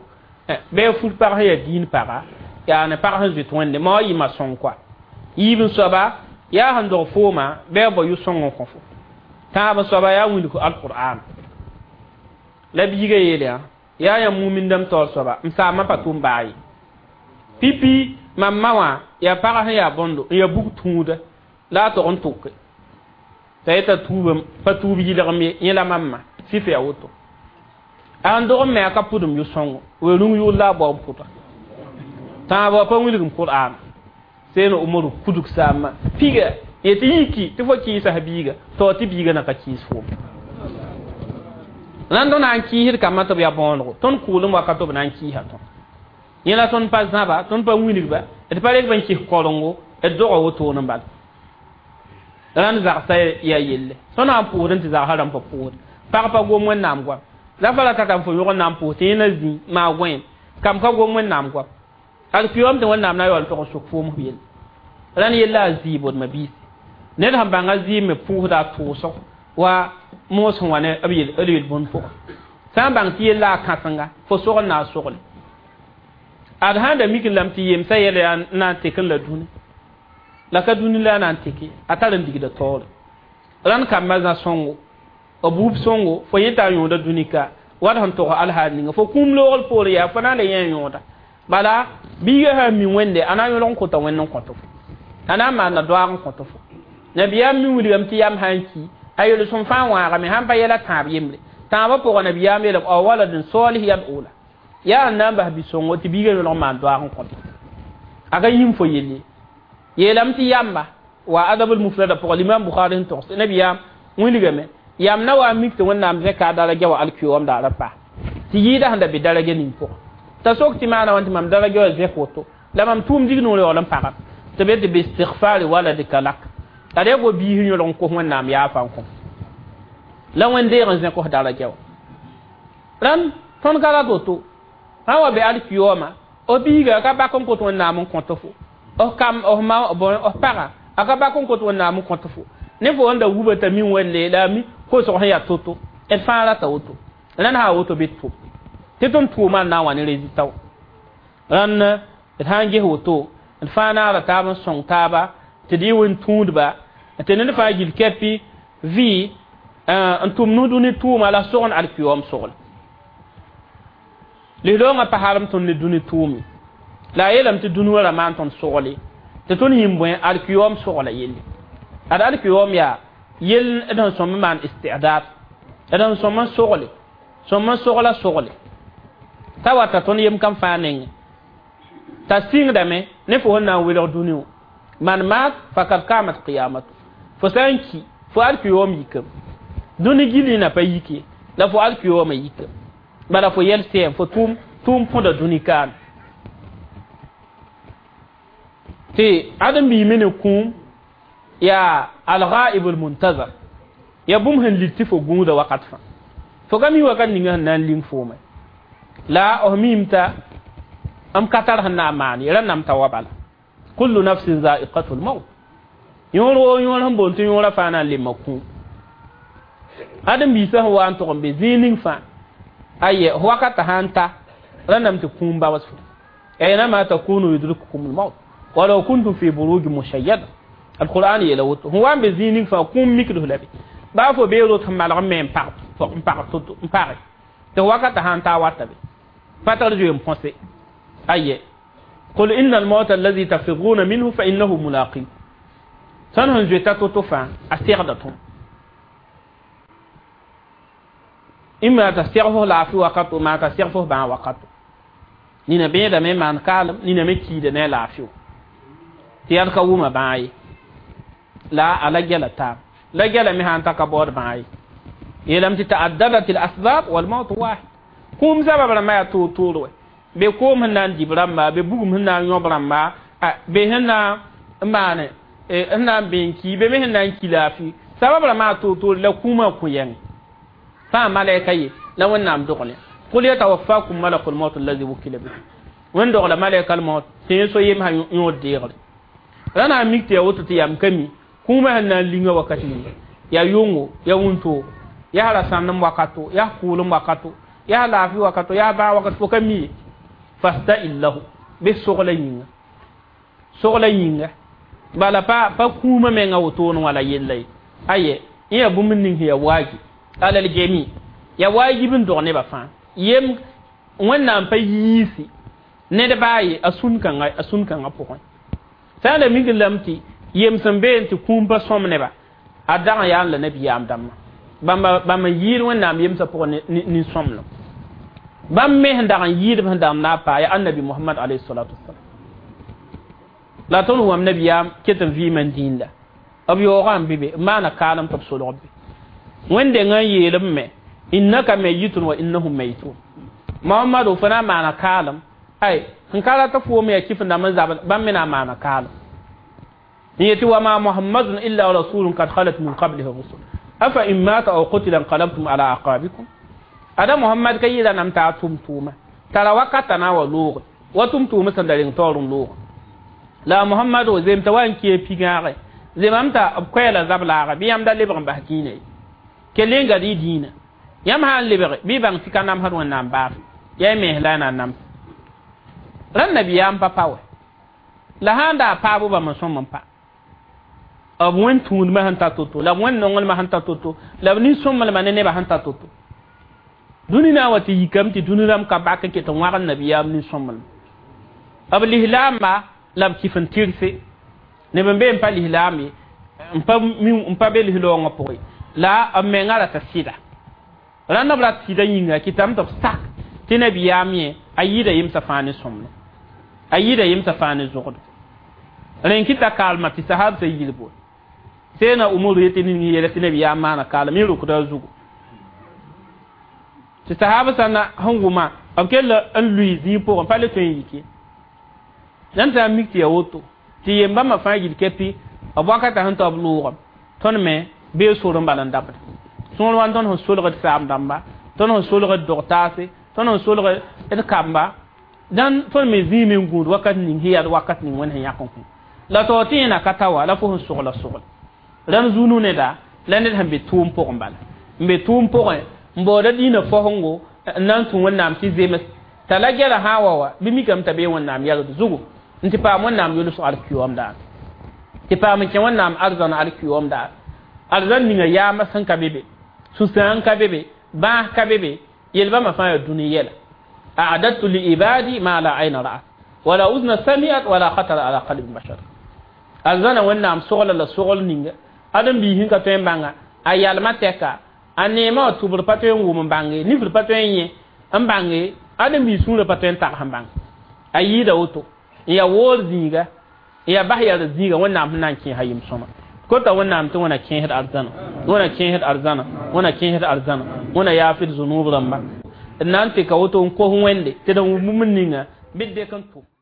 bɩ fur pag sẽn yaa diin paga yaa ne pag sẽn zoet Wẽnde ma wa yɩ ma sõng koa yiib n soaba yaa sẽn dog fooma bɩ a bao yʋ-sõng n kõ fo tãab n soaba yaa wilg alqur'an la biiga yeele yaa yãmb mumin dãmb taoor soaba m saamã pa tʋm baa ye pipi mam ma wã yaa pag sẽn yaa bõndo n yaa bug tũuda la a tog n tʋke t'a yeta tuubam pa tuub yɩlgem ye yẽ la mam ma sɩf yaa woto An dog me aka pudum yu songo we rung yu la bo puta ta ba pa wilgum qur'an seno umaru kuduk sama piga yeti yiki ti fo ki sahabiga to ti biga na ka ki fo nan don an ki hir kama to ya bongo ton kulum wakato nan ki ha ton yela ton pa zaba ton pa wilgba et pa rek ban ki korongo et dogo woto nan bal ran zaxsa ya yelle ton an puudin ti zaxa ran pa puud pag pa gom wẽnnaam goam la fa la tata fo yʋg n na n pʋʋs tɩ yẽ na zĩ maa gõe kam ka gom wẽnnaam goam ad kuyom tɩ wẽnnaam na yaool tog n sʋk foom f yelle rãn yella a zɩɩb d mabiisi ned sẽn bãnga zɩɩb me pʋʋsda a tʋʋsg wa moos sẽn wa ne b yel-bũnd pʋgẽ sã n bãng tɩ yella a kãsenga fo sogl na a sogle ad sãn da mik lame tɩ yemsã yɛla yaa na n tek n la dũni la ka dũni la a na n teke a tar n digda taoore rãnd kambã zã sõngo b wub sõngo fo yẽ t'a yõoda dũni ka wat sẽn tog alhaal ninga fo kũum loogl poore yaa fo na n la yẽ yõoda bala biiga sã n mi wẽnde a na n yõlg n kõta wẽnd n kõt fo a na n maanda doaag n kõt fo nabiyaam mi wilgame tɩ yam sã n ki a yel-sõm fãa wãagame sãn pa yɛla tãab yembre tãabã pʋgã nabiyaam yeelame aw waladin salih yad'u la yaa n na n bas bi-sõngo tɩ biiga yõlg n maan doaag n kõt a ka yĩm fo yelle yeelame tɩ yamba wa adabul mufrada pʋgã limam bukhari n togs nabiyaam wilgame yam na wa mik tɩ wẽnnaam zẽka a daraja wa alkiyom daara pa tɩ yɩɩda sẽn da be daraja ning pʋgẽ t'a sok tɩ maana wãn tɩ mam daraja wa zẽk woto la mam tʋʋm dig noor yaool n pagam tɩ be tɩ bistighfari waladika lak ad yaa go biis yõlg n kos wẽnnaam yaafa n kõ la wẽn-deeg n zẽk f daraja wa rãnd tõnd ka rat woto sã n wa be alkiyoma f biiga ka bak n kot wẽnnaam n kõt fo f kam f ma f paga a ka bak n kot wẽnnaam n kõt fo ne fo n da wuba t'a min wẽnde la a mi kosg sẽn yaa to-to d fãa rata woto rãnd sã woto bɩ tʋm tɩ tõnd tʋʋmã n na n wa ne résultat wã rãnd d sã n ges woto d fãa naara taab n sõng taaba tɩ d yɩ wẽn tũudba tɩ ned fãa gil kɛpɩ vɩ n tʋm nusd ne tʋʋma la sogn alkiyom sogl lislaoongã pa harem tõnd ne dũni tʋʋme la a yeelame tɩ dũni wã ra maan tõnd sogle tɩ tõnd yĩm bõe alkiyom sogla yelle ad alkiyom yaa yell d sẽn sõm n maan istidad d sẽn sõm n sogle sõm n sogla sogle t'a wata tõnd yem kam fãa nengẽ t'a sɩngdame ne fo sẽn na n welg dũni wã man maat fakad kamat qiyamatu fo sã n ki fo alkiyom yikame dũni gilli na pa yike la fo alkiyoma yikame bala fo yɛl sɛɛm fo tʋʋm põda dũni kaan tɩ ãdem-biime ne kũum yaa alghaib almuntazar ya bũmb sẽn lit tɩ fo gũuda wakat fãa fo ka mi wakat ninga sẽn na n ling foome la f miime t'a m ka tar sẽn na n maan ye rãnnam t'a wa bala kullu nafsin zaiqatu lmaut yõor woo yõor sẽn boond tɩ yõorã fãa na n lemma kũum ãdem-biisã sẽn wa n tog n be zĩig ning fãa aye wakata sã n ta rãnnam tɩ kũum baoos fo aynama takunu yudrikukum lmaut walaw kuntum fi buruji mushayyada alquran yeela woto sẽn wa n be zĩig ning fãa kũum mikd f la be baa fo bee rot sẽn malg n me n pag n pag to-to n page tɩ wakata sã n ta wata be pa tar zoe n põse aye qul inna almauta allazi tafiruna minhu fa innahu mulaqikum tõnd sẽn zoeta to-to fãa a segda tõm imma t'a seg fo laafɩ wakato maa t'a seg fo bãag wakato nina bẽedame n maan kaalem nina me kiida ne a laafɩ wã tɩ yãd ka wʋma bãag ye la a la gɛla taab la gɛla me sã n ta ka baood bãag ye yeelame tɩ taaddadat al asbab walmaut wahid kũum sabab rãmbã yaa toor-toor wɛ be koom sẽn na n dib rãmba be bugum sẽn na n yõb rãmba be sẽn na n maane sẽn na n bee n ki be me sẽn na n ki laafɩ sabab rãmbã yaa toor-toor la kũumã kõ yɛng fãa malɛka ye la wẽnnaam dogle qul yatawaffakum malakul maut allazi wukila bikum wẽn dogla malɛka maut tɩ yẽ so yemsã yõod deegre ra na n mik tɩ yaa woto tɩ yam ka mi kũumã sẽn na n linga wakat ninga yaa yʋngo yaa wũntoogo yaa ra sãndem wakato yaa kʋʋlem wakato yaa laafɩ wakato yaa bãag wakato fo ka mi ye fasta'in lahu bɩ sogla yĩnga sogla yĩnga bala pa pa kũumã menga wotone wã la yella ye aye yẽ yaa bũmb ning sẽn yaa waajib alal jami ya wajib n dog nebã fãa yem wẽnnaam pa yiisi ned baa ye a sũn kãngã pʋgẽ sã n da mik lame tɩ yem sẽn been tɩ kũum pa sõm neba a dag n yaa n la nabiyaam dãmbã bãmba n yɩɩd wẽnnaam yemsã pʋgẽ nin-sõmlem Bãmb me sẽn dag n yɩɩdb sẽn dag n na n paa yaa annabi Mohamad alayhi salatu wasalam. La tõnd wãm nabiyaam ket n vɩɩmã n dĩinda b yaoogã n be be n maana kaalem tɩ b solg be wẽn-dengã n yeel b me innaka mayitun wa innahum mayitun. Muhammadu fo na n maana kaalem ay sẽn ka rat foom yaa kɩf n dãmb n zab bãmb me na n maana kaalem n yetɩ wa ma muhammadun illa rasulun kad khalat min qablihi rusul afa in mata aw qutila inqalabtum ala aqabikum. Ada Muhammad ka yɩla nam t'a tʋm tʋʋma tara wakata na wa looge wa tʋm tʋʋma sẽn da reng taoor n looge la Muhammad o zem t'a wa n kee pigãage zemam t'a b koɛɛla zab laaga bɩ yãmb da lebg n bas kĩinã ye kell n gad y dĩinã yãmb sã n lebge bɩ y bãng tɩ ka namsd Wẽnnaam baas yaa y mens la y na n nams rãnd nabiyaam pa pa wɛ la sã n daa paabo bãmb n sõm n pa b wẽn tũudmã sẽn ta to-to la b wẽn nonglmã sẽn ta to-to la b nin-sõmblmã ne nebã sẽn ta to-to dũni na n wa tɩ yikame tɩ dũni rãmb ka bak n ket n wãgd nabiyaam nin-sõmblmã b lislaamba la b kɩf n tɩrse neb n be n pa lislaam ye n pa be lislaoongã pʋgẽ la b mengã rata sɩda rãnd b rat sɩda yĩnga kɩtame tɩ b sak tɩ nabiyaam yẽ a yɩɩda yemsã fãa ne sõmblem a yɩɩda yemsã fãa ne zogdo rẽn kɩta kaalmã tɩ sahab sã yilbo seena umaru yetɩ ning yeela tɩ nabiyaam maana kaalem yẽ rokda a zugu tɩ sahab sã na sẽn wʋma b kell n lʋɩ zĩig pʋgẽ pa le tõe n yik ye nan tɩ a mik tɩ ya woto tɩ yem-bãmbã fãa yil kɛpɩ b wakata sẽn tao b loogame tõnd me bee sor n bal n dabda sõor wa tõnd sẽn solgd saam dãmba tõnd sẽn solgd dog-taase tõnd sẽn solgd d kamba dãn tõnd me zĩime n gũud wakat ning sẽn yaa wakat ning Wẽnd sẽn yãk n kõ la tao tɩ yẽna ka ta wa la fo sẽn sogla sogl rãnd zũnu neda la ned sẽn be tʋʋm pʋgẽ bala n be tʋʋm pʋgẽ n baooda dĩinã faosengo n na n tũ Wẽnnaam tɩ zems t'a la gɛla sã n wa bɩ mikame t'a bee Wẽnnaam yalgd zugu n tɩ paam Wẽnnaam yʋls alkiyoom daar tɩ paam n kẽ Wẽnnaam arzãn alkiyoom daar arzãn ninga yaama sẽn ka be be sũ-sãang ka be be bãas ka be be yel-bãmba fãa yaa dũni yɛla a'dadtu li ibadi ma la ayna ra'at wala uzna sami'at wala khatara ala qalbi bashar arzãna Wẽnnaam sogla la sogl ninga ãdem-biis sẽn ka tõe n bãnga a yalmã tɛka a neemã wã tʋbr pa tõe n wʋm n bãnge nifr pa tõe n yẽ n bãnge ãdem-biis sũurã pa tõe n tags n bãng a yɩɩda woto n yaa woor zĩiga n yaa bas yard zĩiga Wẽnnaam sẽn na n kẽesa yem-sõma kota Wẽnnaam tɩ wẽna kẽesd arzãna wẽna kẽesd arzãna wẽna kẽesd arzãna wẽna yaafd zũnub rãmba d na n tɩka woto n kos Wẽnde tɩ d wʋm bũmb ninga bɩ d dɩk n tʋ.